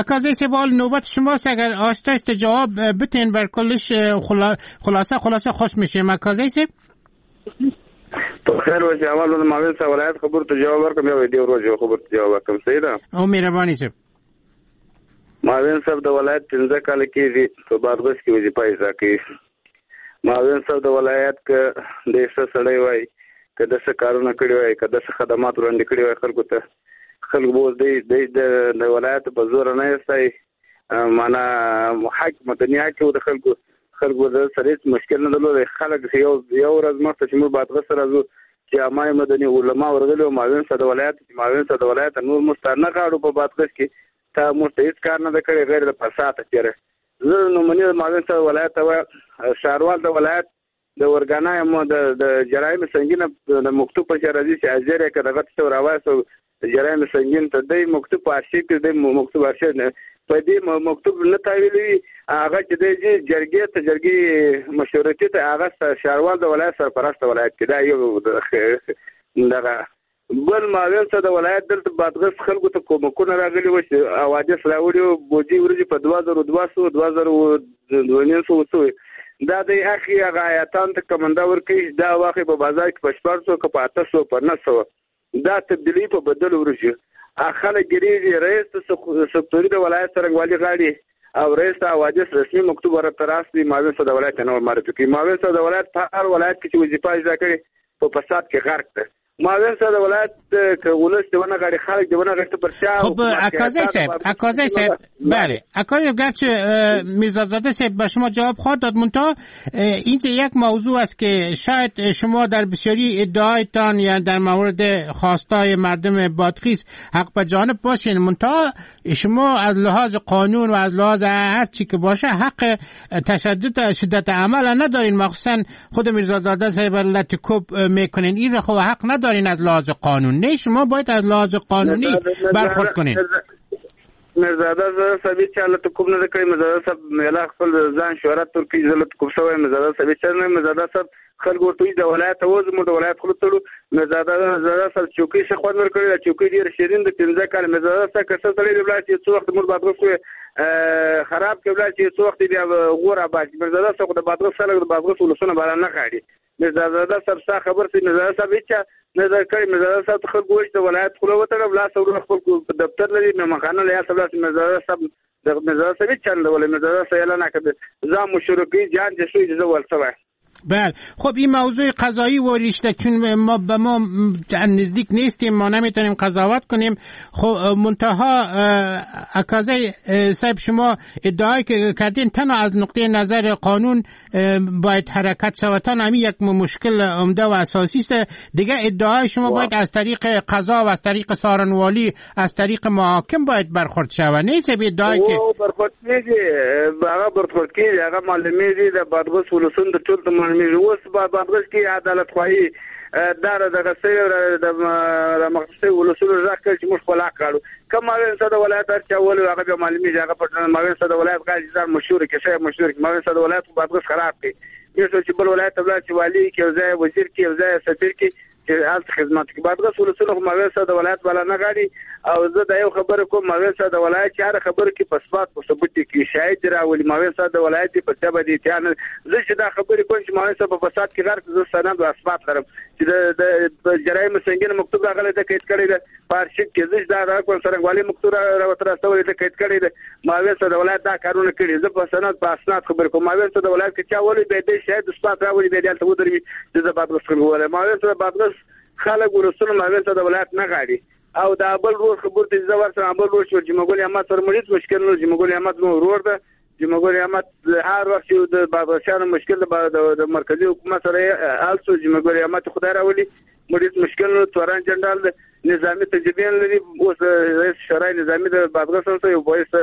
F: اکازه صاحب حال نوبت شماست، اگر آهسته جواب بتین بر کلش خلاصه خلاصه خوش میشیم. اکازه صاحب
H: په خیر اوسې. اول د معاون صاحب ولایت خبرو ته جواب ورکړم، یو دې ورځ یو خبرو ته جواب ورکړم. صحیح ده؟
F: او مهرباني صاحب.
H: معاون صاحب د ولایت 15 کاله کېږي په بادغیس کې وظیفه اجرا کوي. معاون صاحب د ولایت که د ښه سړی وای، که د ښه کارونه کړي وای، که د ښه خدمات وړاندې کړي وای خلکو ته، خلک به اوس د ولایت په زور نه ایستی، معنا حق مدني حق و د خلکو، خلکو د سره هېڅ مشکل نه درلود. خلک یو ورځ مخته چې موږ بادغیس ته راځو چې عامه مدني علما ورغلي وو معاون صاحب د ولایت، چې معاون صاحب د ولایت نور موږ ته نه غاړو په بادغیس کې، تا موږ ته هېڅ کار نه دی کړی غیر د فساده تېره. زه نومونې معاون صاحب ولایت ته وایم، ښاروال د ولایت د ارګانای مو د جرایم سنګین د مکتوب په راځي چې اجر یې که دغه څه راوایسو جرایم سنګین ته دی مکتوب په ارشیف کې دی، مکتوب ارشیف نه په دې مکتوب نه تاویلوي، هغه چې دی جرګې ته، جرګې مشورتي ته، هغه ښاروال د ولایت سرپرست ولایت کې دا یو دغه بل معاون صاحب د ولایت دلته بادغیس خلکو ته کومکونه راغلي وو چې حوادث راوړي وو، بودجې ورځې په 2200 2250 څه دا دی اخی هغه آیاتان ته کمنده ورکوي، دا واخلي په بازار کې په 600 که په 800 په 900، دا تبدیلي په بدل ورشي. خلک ګرېږي، رئیس ته سکتوري د ولایت څرنګوالي غاړي او رئیس ته حوادث رسمي مکتوب ورته راستي، معاون صاحب د ولایت نه معرفي کوي. معاون صاحب د ولایت په هر ولایت کې چې وظیفه اجرا کړي په فساد کې غرق ده. معاون صاحب د ولایت که ولس دې ونه غاړي، خلک دې ونه غاړي، ته پر چا
F: خب اکازه صاحب بله، اکازه گرچه میرزازاده صاحب به شما جواب خواهد داد، منتها اینجا یک موضوع است که شاید شما در بسیاری ادعایتان یا در مورد خواستای مردم بادغیس حق به جانب باشین، منتها شما از لحاظ قانون و از لحاظ هر چی که باشه حق تشدد شدت عمل ندارین، مخصوصا خود میرزازاده صاحب لت کوب میکنین، این خب حق ندارین از لحاظ قانون. نه شما باید از لحاظ قانونی برخورد کنین.
H: میرزاده صاحب هیچا لت کوب نه کړی، میرزاده صاحب میلا خپل ځان شهرت ورکوي، زه لت کوب شوی میرزاده صاحب هیچا نه، میرزاده صاحب خلک ورته وایي د ولایت ته وځو، موږ د ولایت خوله تړو. میرزاده صاحب چوکۍ ښه خوند ورکړی، دا چوکۍ ډېره شیرین ده، 15 کاله میرزاده صاحب که ښه سړی دی ولاړ شي، څو وخت موږ بادغیس خو خراب کړي ولاړ شي، څو وخت بیا غور آباد شي. میرزاده صاحب خو د بادغیس خلک د بادغیس ولسونه بالا نه غاړي. میرزاده صاحب ستا خبر سي، میرزاده صاحب هیچا نه در کړی. میرزاده صاحب ته خلکو وایي چې د ولایت خوله وتړه، لاس وروڼه خپل دفتر لري، مهمانخانه لري، هلته ولاړ شي. میرزاده صاحب میرزاده صاحب هیچا نه دی ویلی، میرزاده صاحب اعلان کړه ځان مشوره کوي، جان چې شوی چې زه ورته وایم.
F: بله خب این موضوع قضایی و ریشته چون ما به ما نزدیک نیستیم، ما نمیتونیم قضاوت کنیم. خب منتها اکازه صاحب شما ادعای که کردین تنها از نقطه نظر قانون باید حرکت شود، تنها همین یک مشکل عمده و اساسی است. دیگه ادعای شما باید از طریق قضا و از طریق سارنوالی از طریق محاکم باید برخورد شود، نه صاحب ادعای که
H: برخورد کیږي، هغه برخورد کیږي، هغه معلومیږي د بادغیس ولسونو د ټول معلومیږي. اوس بادغیس کې عدالت خواهي دا دغه سوی د مخصوصي ولسونو غږ کړ چې موږ خپل حق غواړو. که معاون صاحب د ولایت هر چا ولو هغه بیا معلومیږي، هغه په معاون صاحب د ولایت غاړي ځان مشهور کړي، ښه مشهور کړي. معاون صاحب د ولایت خو بادغیس خراب کړي، یو څو چې بل ولایت ته ولاړ چې والي کې یو ځای وزیر کې یو ځای سفیر کې چې هلته خدمت کوي. بادغیس ولسونه خو معاون صاحب د ولایت بالا نه غاړي او زه دا یو خبره کوم، معاون صاحب د ولایت چې هره خبره کې په اثبات په ثبوت کې شاهد راولي. معاون صاحب د ولایت په څه باندې اتیا نه، زه چې دا خبرې کوم چې معاون صاحب په فساد کې غرق، زه سند او اثبات لرم چې د جرایم سنګین مکتوب راغلی ده، قید کړی ده په ارشیف کې. زه چې دا را کوم څرنګوالي مکتوب راوتر استولی ده، قید کړی ده. معاون صاحب د ولایت دا کارونه کړي، زه په سند په اسناد خبرې کوم. معاون صاحب د ولایت کې چا ولي بیا دې شاهد اثبات راولي، بیا دې هلته ودروي چې زه بادغیس خلک وولم. معاون صاحب بادغیس خلک ولسونه معاون صاحب د ولایت نه غاړي. او دا بل ورور خبر ته زه ورسره بل ورور چې جمعه ګل احمد سره مو هیڅ مشکل نه، جمعه ګل احمد مو ورور ده. جمعه ګل احمد هر وخت چې د بادغیسیانو مشکل د مرکزي حکومت سره حل شو، جمعه ګل احمد خدای راولي، موږ هیڅ مشکل نه. تورن جنرال ده، نظامي تجربې لري، اوس رئیس شورای نظامي د بادغیس هم یو رئیس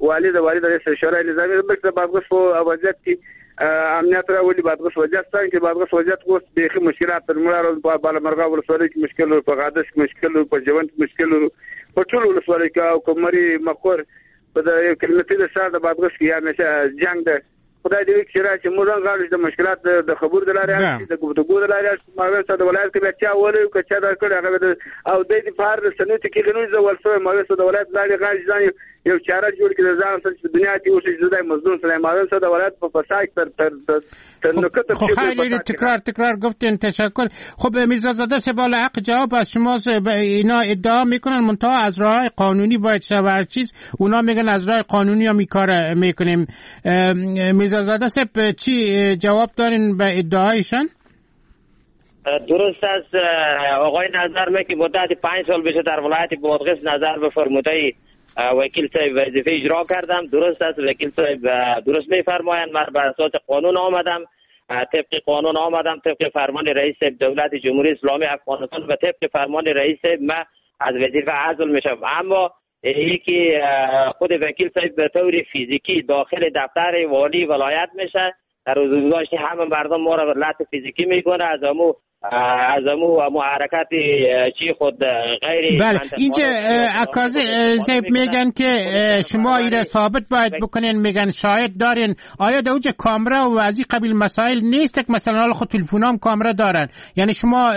H: والي د والي د رئیس شورای نظامي بلکې د بادغیس په وضعیت کې امنیت راولي. بادغیس وضعیت څنګه چې بادغیس وضعیت اوس بیخي مشکلات تر موږ راوړل. په بالامرغه ولسوالۍ کې مشکل لرو، په غادش کې مشکل لرو، په جوند کې مشکل لرو، په ټولو ولسوالۍ کې او کمري مقور په د یو کلمتي د ښار د بادغیس کې همیشه جنګ ده. خدای دې وکړي چې راشي، موږ هم غواړو چې د مشکلات د خبرو د لارې حل شي، د ګفتګو د لارې حل شي. معاون صاحب د ولایت کې بیا چا ولوي که چا دا کړی هغه او دی دې په هر رسنیو کې کېږي نه، زه ول سوی معاون صاحب د ولایت لاړې غاړې ځان یو چاره جوړ کړي، ځان سره چې دنیا کې اوسي، زه د مزدور سره معاون صاحب د ولایت په فساد تر تر تر نکته.
F: خب خیلی تکرار گفتین، تشکر. خب میرزازاده صاحب حق جواب از شما. اینا ادعا میکنن منتها از راه قانونی باید شه و هر چیز، اونا میگن از راه قانونی هم کار میکنیم. میرزازاده صاحب چی جواب دارین به ادعایشان؟
G: درست است آقای نظر می که مدت 5 سال بشه در ولایت بادغیس نظر به فرموده وکیل صاحب وظیفه اجرا کردم. درست است وکیل صاحب درست میفرمایند، من بر اساس قانون آمدم، طبق قانون آمدم، طبق فرمان رئیس دولت جمهوری اسلامی افغانستان و طبق فرمان رئیس من از وظیفه عزل میشم. اما یکی خود وکیل صاحب به طور فیزیکی داخل دفتر والی ولایت میشه، در روزگاشت همه مردم ما را لط فیزیکی میکنه، از امو حرکت چی خود غیر.
F: بله اینجا عکاز صاحب میگن که شما ایره ثابت باید بکنین، میگن شاهد دارین. آیا در اونجا کامرا و از این قبیل مسائل نیست که مثلا حالا خود تلفنام کامرا دارن، یعنی شما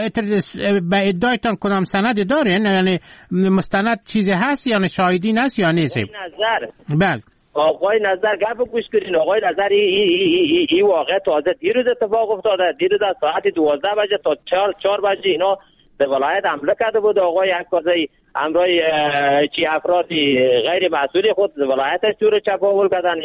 F: به ادعایتان کدام سند دارین، یعنی مستند چیزی هست، یعنی شاهدین هست یا نیست؟
G: نظر
F: بله
G: آقای نظر گپ گوش کنین. آقای نظر ای واقعه تازه دیروز اتفاق افتاده. دیروز از ساعت 12 بجه تا 4 بجه اینا به ولایت حمله کرده بود. آقای عکاسه همراه چی افرادی غیر مسئول خود ولایتش تور چپاول کردن.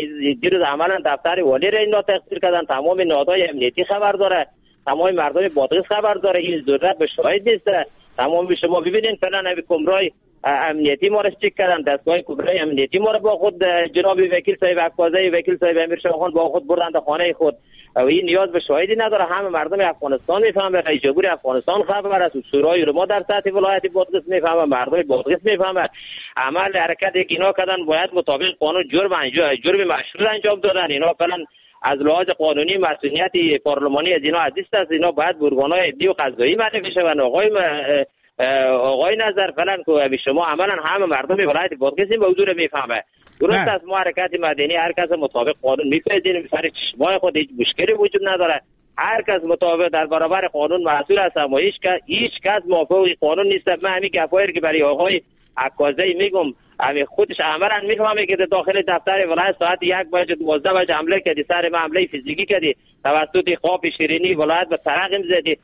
G: دیروز عملا دفتر والی را اینا تخصیص کردن. تمام نهادهای امنیتی خبر داره، تمام مردم بادغیس خبر داره. این ضرورت به شاهد نیست. تمام شما ببینین فعلا نبی کمرای امنیتی ما را چک کردن، دستگاه کبرای امنیتی ما را با خود جناب وکیل صاحب عکازه، وکیل صاحب امیر شاهخان با خود بردند خانه خود. و این نیاز به شاهدی نداره. همه مردم افغانستان میفهمه، رئیس جمهور افغانستان خبر است، شورای ما در سطح ولایت بادغیس میفهمه، مردم بادغیس میفهمه. عمل حرکت که اینا کردن باید مطابق قانون جرم مشروع انجام دادن. اینا فعلا از لحاظ قانونی مسئولیت پارلمانی از اینا عزیز است. اینا باید برگان‌های عدلی و قضایی معرفی شوند. آقای نظر فعلا که شما عملا همه مردم ولایت بادغیس این موضوع رو میفهمه. درست است ما حرکت مدنی هر کس مطابق قانون میپذیریم، سر چشمای خود هیچ مشکلی وجود نداره. هر کس مطابق در برابر قانون مسئول است، اما هیچ کس موافق قانون نیست. من همین گپایی که برای آقای عکازه میگم، همین خودش عملا میفهمه که داخل دفتر ولایت ساعت 1 بجه 12 بجه حمله کردی، سر من حمله فیزیکی کردی، توسط قاپ شیرینی ولایت به سرقم زدی،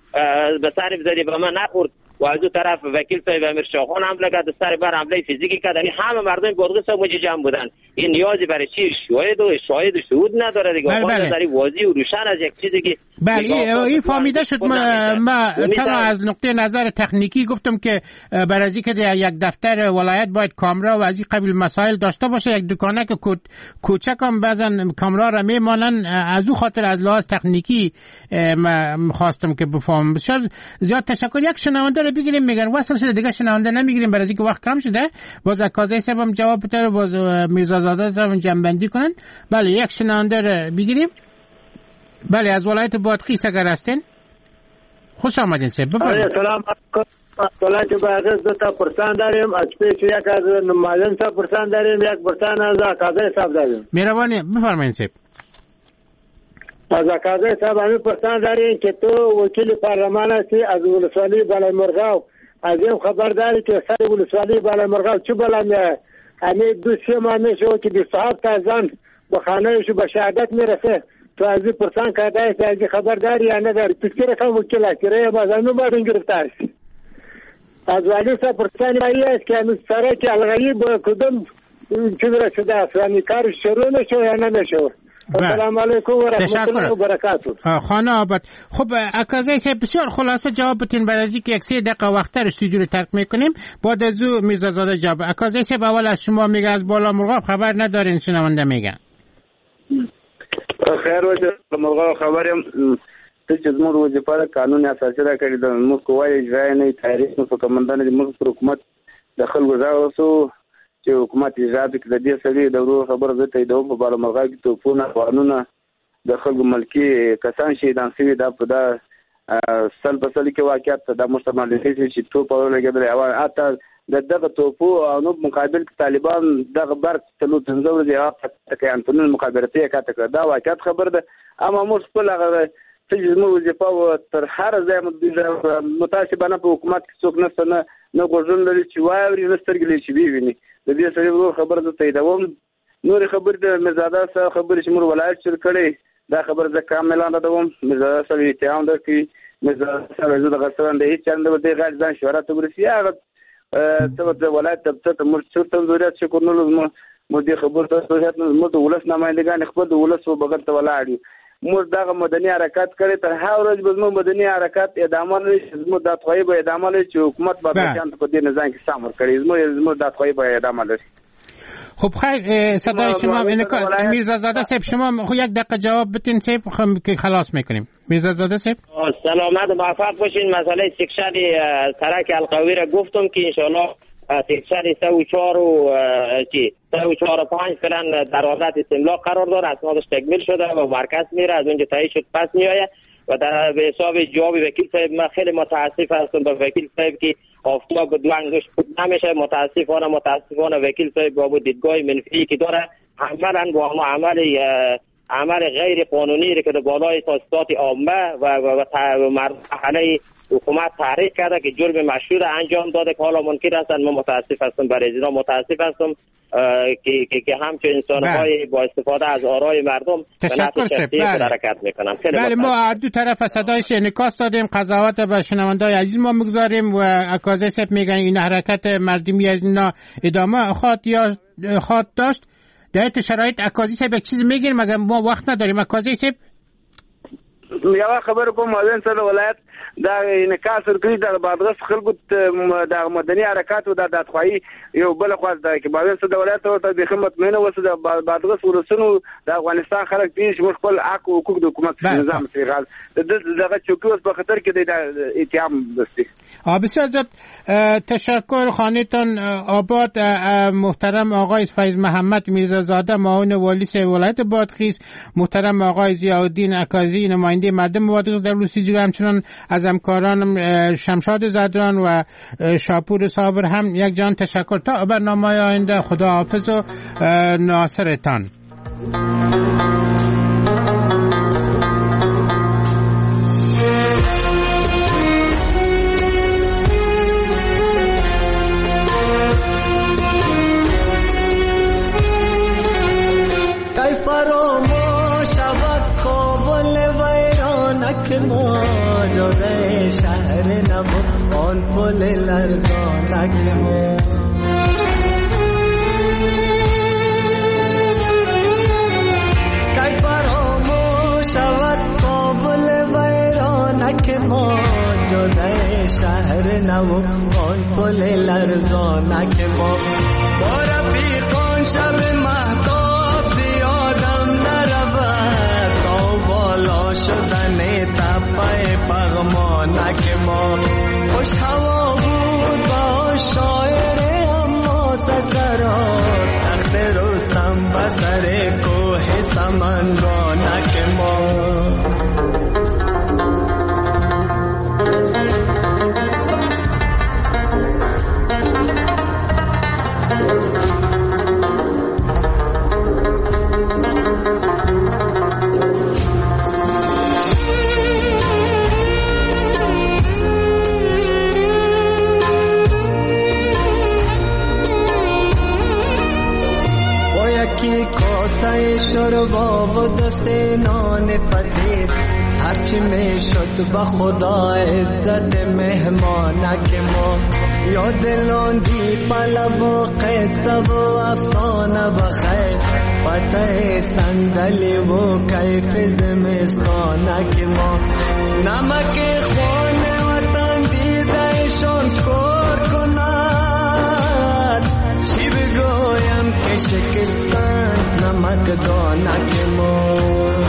G: به سرم زدی، به من نخورد. و از اون طرف وکیل صاحب امیر شاهخان حمله کرد، سر بر حمله فیزیکی کرد. یعنی همه مردم بادغیس هم جمع بودن. این نیازی برای چی شاهد و شهود نداره دیگه. بله. بله. واضح و روشن از یک چیزی که
F: بله این فهمیده شد. ما تنها از نقطه نظر تکنیکی گفتم که برای اینکه یک دفتر ولایت باید کامرا و از این قبیل مسائل داشته باشه، یک دکانه که کوچک هم بعضا کامرا را میمانن، از او خاطر از لحاظ تکنیکی خواستم که بفهمم. بسیار زیاد تشکر. یک شنونده رو بگیریم، میگن وصل شده، دیگه شنونده نمیگیریم برای اینکه وقت کم شده. باز عکازه صاحب هم جواب بده، باز میرزازاده صاحب جنبندی کنن. بله یک شنونده رو بگیریم. بله از ولایت بادغیس اگر هستین خوش آمدین صاحب، بفرمایید.
Q: سلام علیکم. ولایت بادغیس دو تا پرسان داریم، از پیش یک از معلم صاحب پرسان داریم، یک پرسان از عکازه صاحب داریم.
F: مهربانی بفرمایید صاحب.
Q: از عکازه صاحب همین پرسان داریم که تو وکیل پارلمان هستی، از ولسوالی بالای مرغاو از این خبر داری که سر ولسوالی بالا مرغاب چه بلا میایه؟ همه 2-3 ماه میشه که 27 تا زن به خانهش به شهادت میرسه. تو از این پرسان کرده است، از این خبر داری یا نداری؟ تو چه رقم وکیل هستی؟ رای باز مردم گرفته است. از والی صاحب پرسان است که هنوز سرک الغایی با کدام چیز رسیده است، یعنی کارش شروع میشه یا نمیشه؟ السلام علیکم و رحمت الله و برکاته.
F: خانه آباد. خب اکازی صاحب بسیار خلاصه جواب بتین برای از اینکه 1-3 دقیقه وقت تر استودیو رو ترک میکنیم. بعد از او میرزازاده جواب. اکازی صاحب اول از شما میگه از بالا مرغاب خبر ندارین، شنونده میگه.
H: خیر وجه مرغاب خبریم څه چې زموږ وظیفه ده قانون اساسي را کړی ده، موږ قوای اجرایه نه تاریخ نو په کمندان دي، موږ پر حکومت د خلکو غږ وسو چې حکومت اجرا کړي. د دې سړي د ورور خبره زه تاییدوم، په بالامرغاب کې توپونه قانونه د خلکو ملکي کسان شهیدان شوي، دا په دا سل په سل کې واقعیت ده. دا موږ ته معلومېږي چې توپ ولګېدلی او حتی د دغه توپو او نو مقابل کې طالبان دغه برق 4-5 ورځې هغه انتونونه مخابراتي یې قطع کړه. دا واقعیت خبر ده. اما موږ خپل هغه څه چې زموږ وظیفه وه تر هر ځای متاسفانه په حکومت کې څوک نشته، نه غوږونه لري چې واوري، نه سترګې لري چې وویني. د دې سړي ورور خبره زه تاییدوم. نورې خبرې د میرزاده صاحب خبرې چې موږ ولایت شروع کړې، دا خبره زه کاملا ردوم. میرزاده صاحب اتهام درکوي، میرزاده صاحب زه دغه سره د هېڅ چا نه دی غیر ځان شهرت ته ورسي. هغه څه د ولایت دفتر ته موږ چېرته ضرورت شکر نه لرو، موږ دې خبرو ته ضرورت نه لرو. موږ د ولس نمایندګان خپل د ولس و بغل ته ولاړ یو. موږ دغه مدني حرکت کړی، تر هر ورځ به زموږ مدني حرکت ادامه لري، زموږ دادخواهي به ادامه لري چې حکومت به په دې نظام کې سم ورکړي. زموږ دادخواهي به ادامه لري.
F: خب خیر، صدای شما میرزازاده صاحب، شما خب 1 دقیقه جواب بتین صاحب که خلاص میکنیم. میرزازاده صاحب
G: سلامت و موفق باشین. مسئله section سرک القوی را گفتم که انشالله section 3 و 4 و 3 و 4 و 5 فعلا در حالت استملاک قرار داره، اسنادش تکمیل شده و مرکز میره، از اونجا تایید شد پس میآید. و در به حساب جواب وکیل صاحب من خیلی متاسف هستم به وکیل صاحب که آفتاب دو انگشت نمیشه. متاسفانه وکیل صاحب با دیدگاه منفی که داره عملاً با عمل غیر قانونی که در بالای تاسیسات عامه و مرحله حکومت تحریک کرده که جرم مشهور انجام داده که حالا منکر هستند. من متاسف هستم برای اینا، متاسف هستم که همچون انسان‌های با استفاده از آرای مردم
F: تشکر سپ
G: حرکت میکنن.
F: بله، ما دو طرف صدایش انعکاس دادیم، قضاوت به شنوندای عزیز ما میگذاریم و اکازه سپ میگن این حرکت مردمی از اینا ادامه خواهد یا خواهد داشت. در شرایط اکازی صاحب یک چیز میگیم مگر ما وقت نداریم. اکازی صاحب
H: یوه خبره کوم، معاون صدر ولایت دا انعکاس ورکړي د بادغیس خلکو د مدني حرکات او د دادخواهي یو بله خوا ده کې معاون صدر ولایت ورته بیخي مطمئنه اوسه. د بادغیس ولسونو د افغانستان خلک پېښ موږ خپل حق او حقوق د حکومت نظام سره دغه چوکۍ اوس په خطر کې دی، د اتهام دستي.
F: بسیار زیاد تشکر. خانه‌تان آباد. محترم آقای فیض محمد میرزازاده معاون والی ولایت بادغیس، محترم آقای ضیاءالدین اکازی نماینده مردم بادغیس در لوسی، همچنان از همکارانم شمشاد زدران و شاپور صابر هم یک جان تشکر. تا برنامه آینده خدا حافظ و ناصرتان.
S: ما جاده شهر نبو آن پل لرزانک ما کی فراموش شود کابل ویرانک ما جاده شهر نبو آن پل لرزانک ما با رفیقان شب مهتاب زیادم نرود تا بالا شدن تپه پغمانک ما خوش هوا بود با شاعر اما سرات تخت رستم بسر کوه سمنگانک ما. کباب و دو سه نان پتیر، هرچی می شد به خدا عزت مهمانک ما. یاد لاندی پلو و قصه و افسانه بخیر، پته صندلی و کیف زمستانک ما. نمک خانه وطن دیده شان کار کند، چی بگویم که شکستند نمک دانک ما.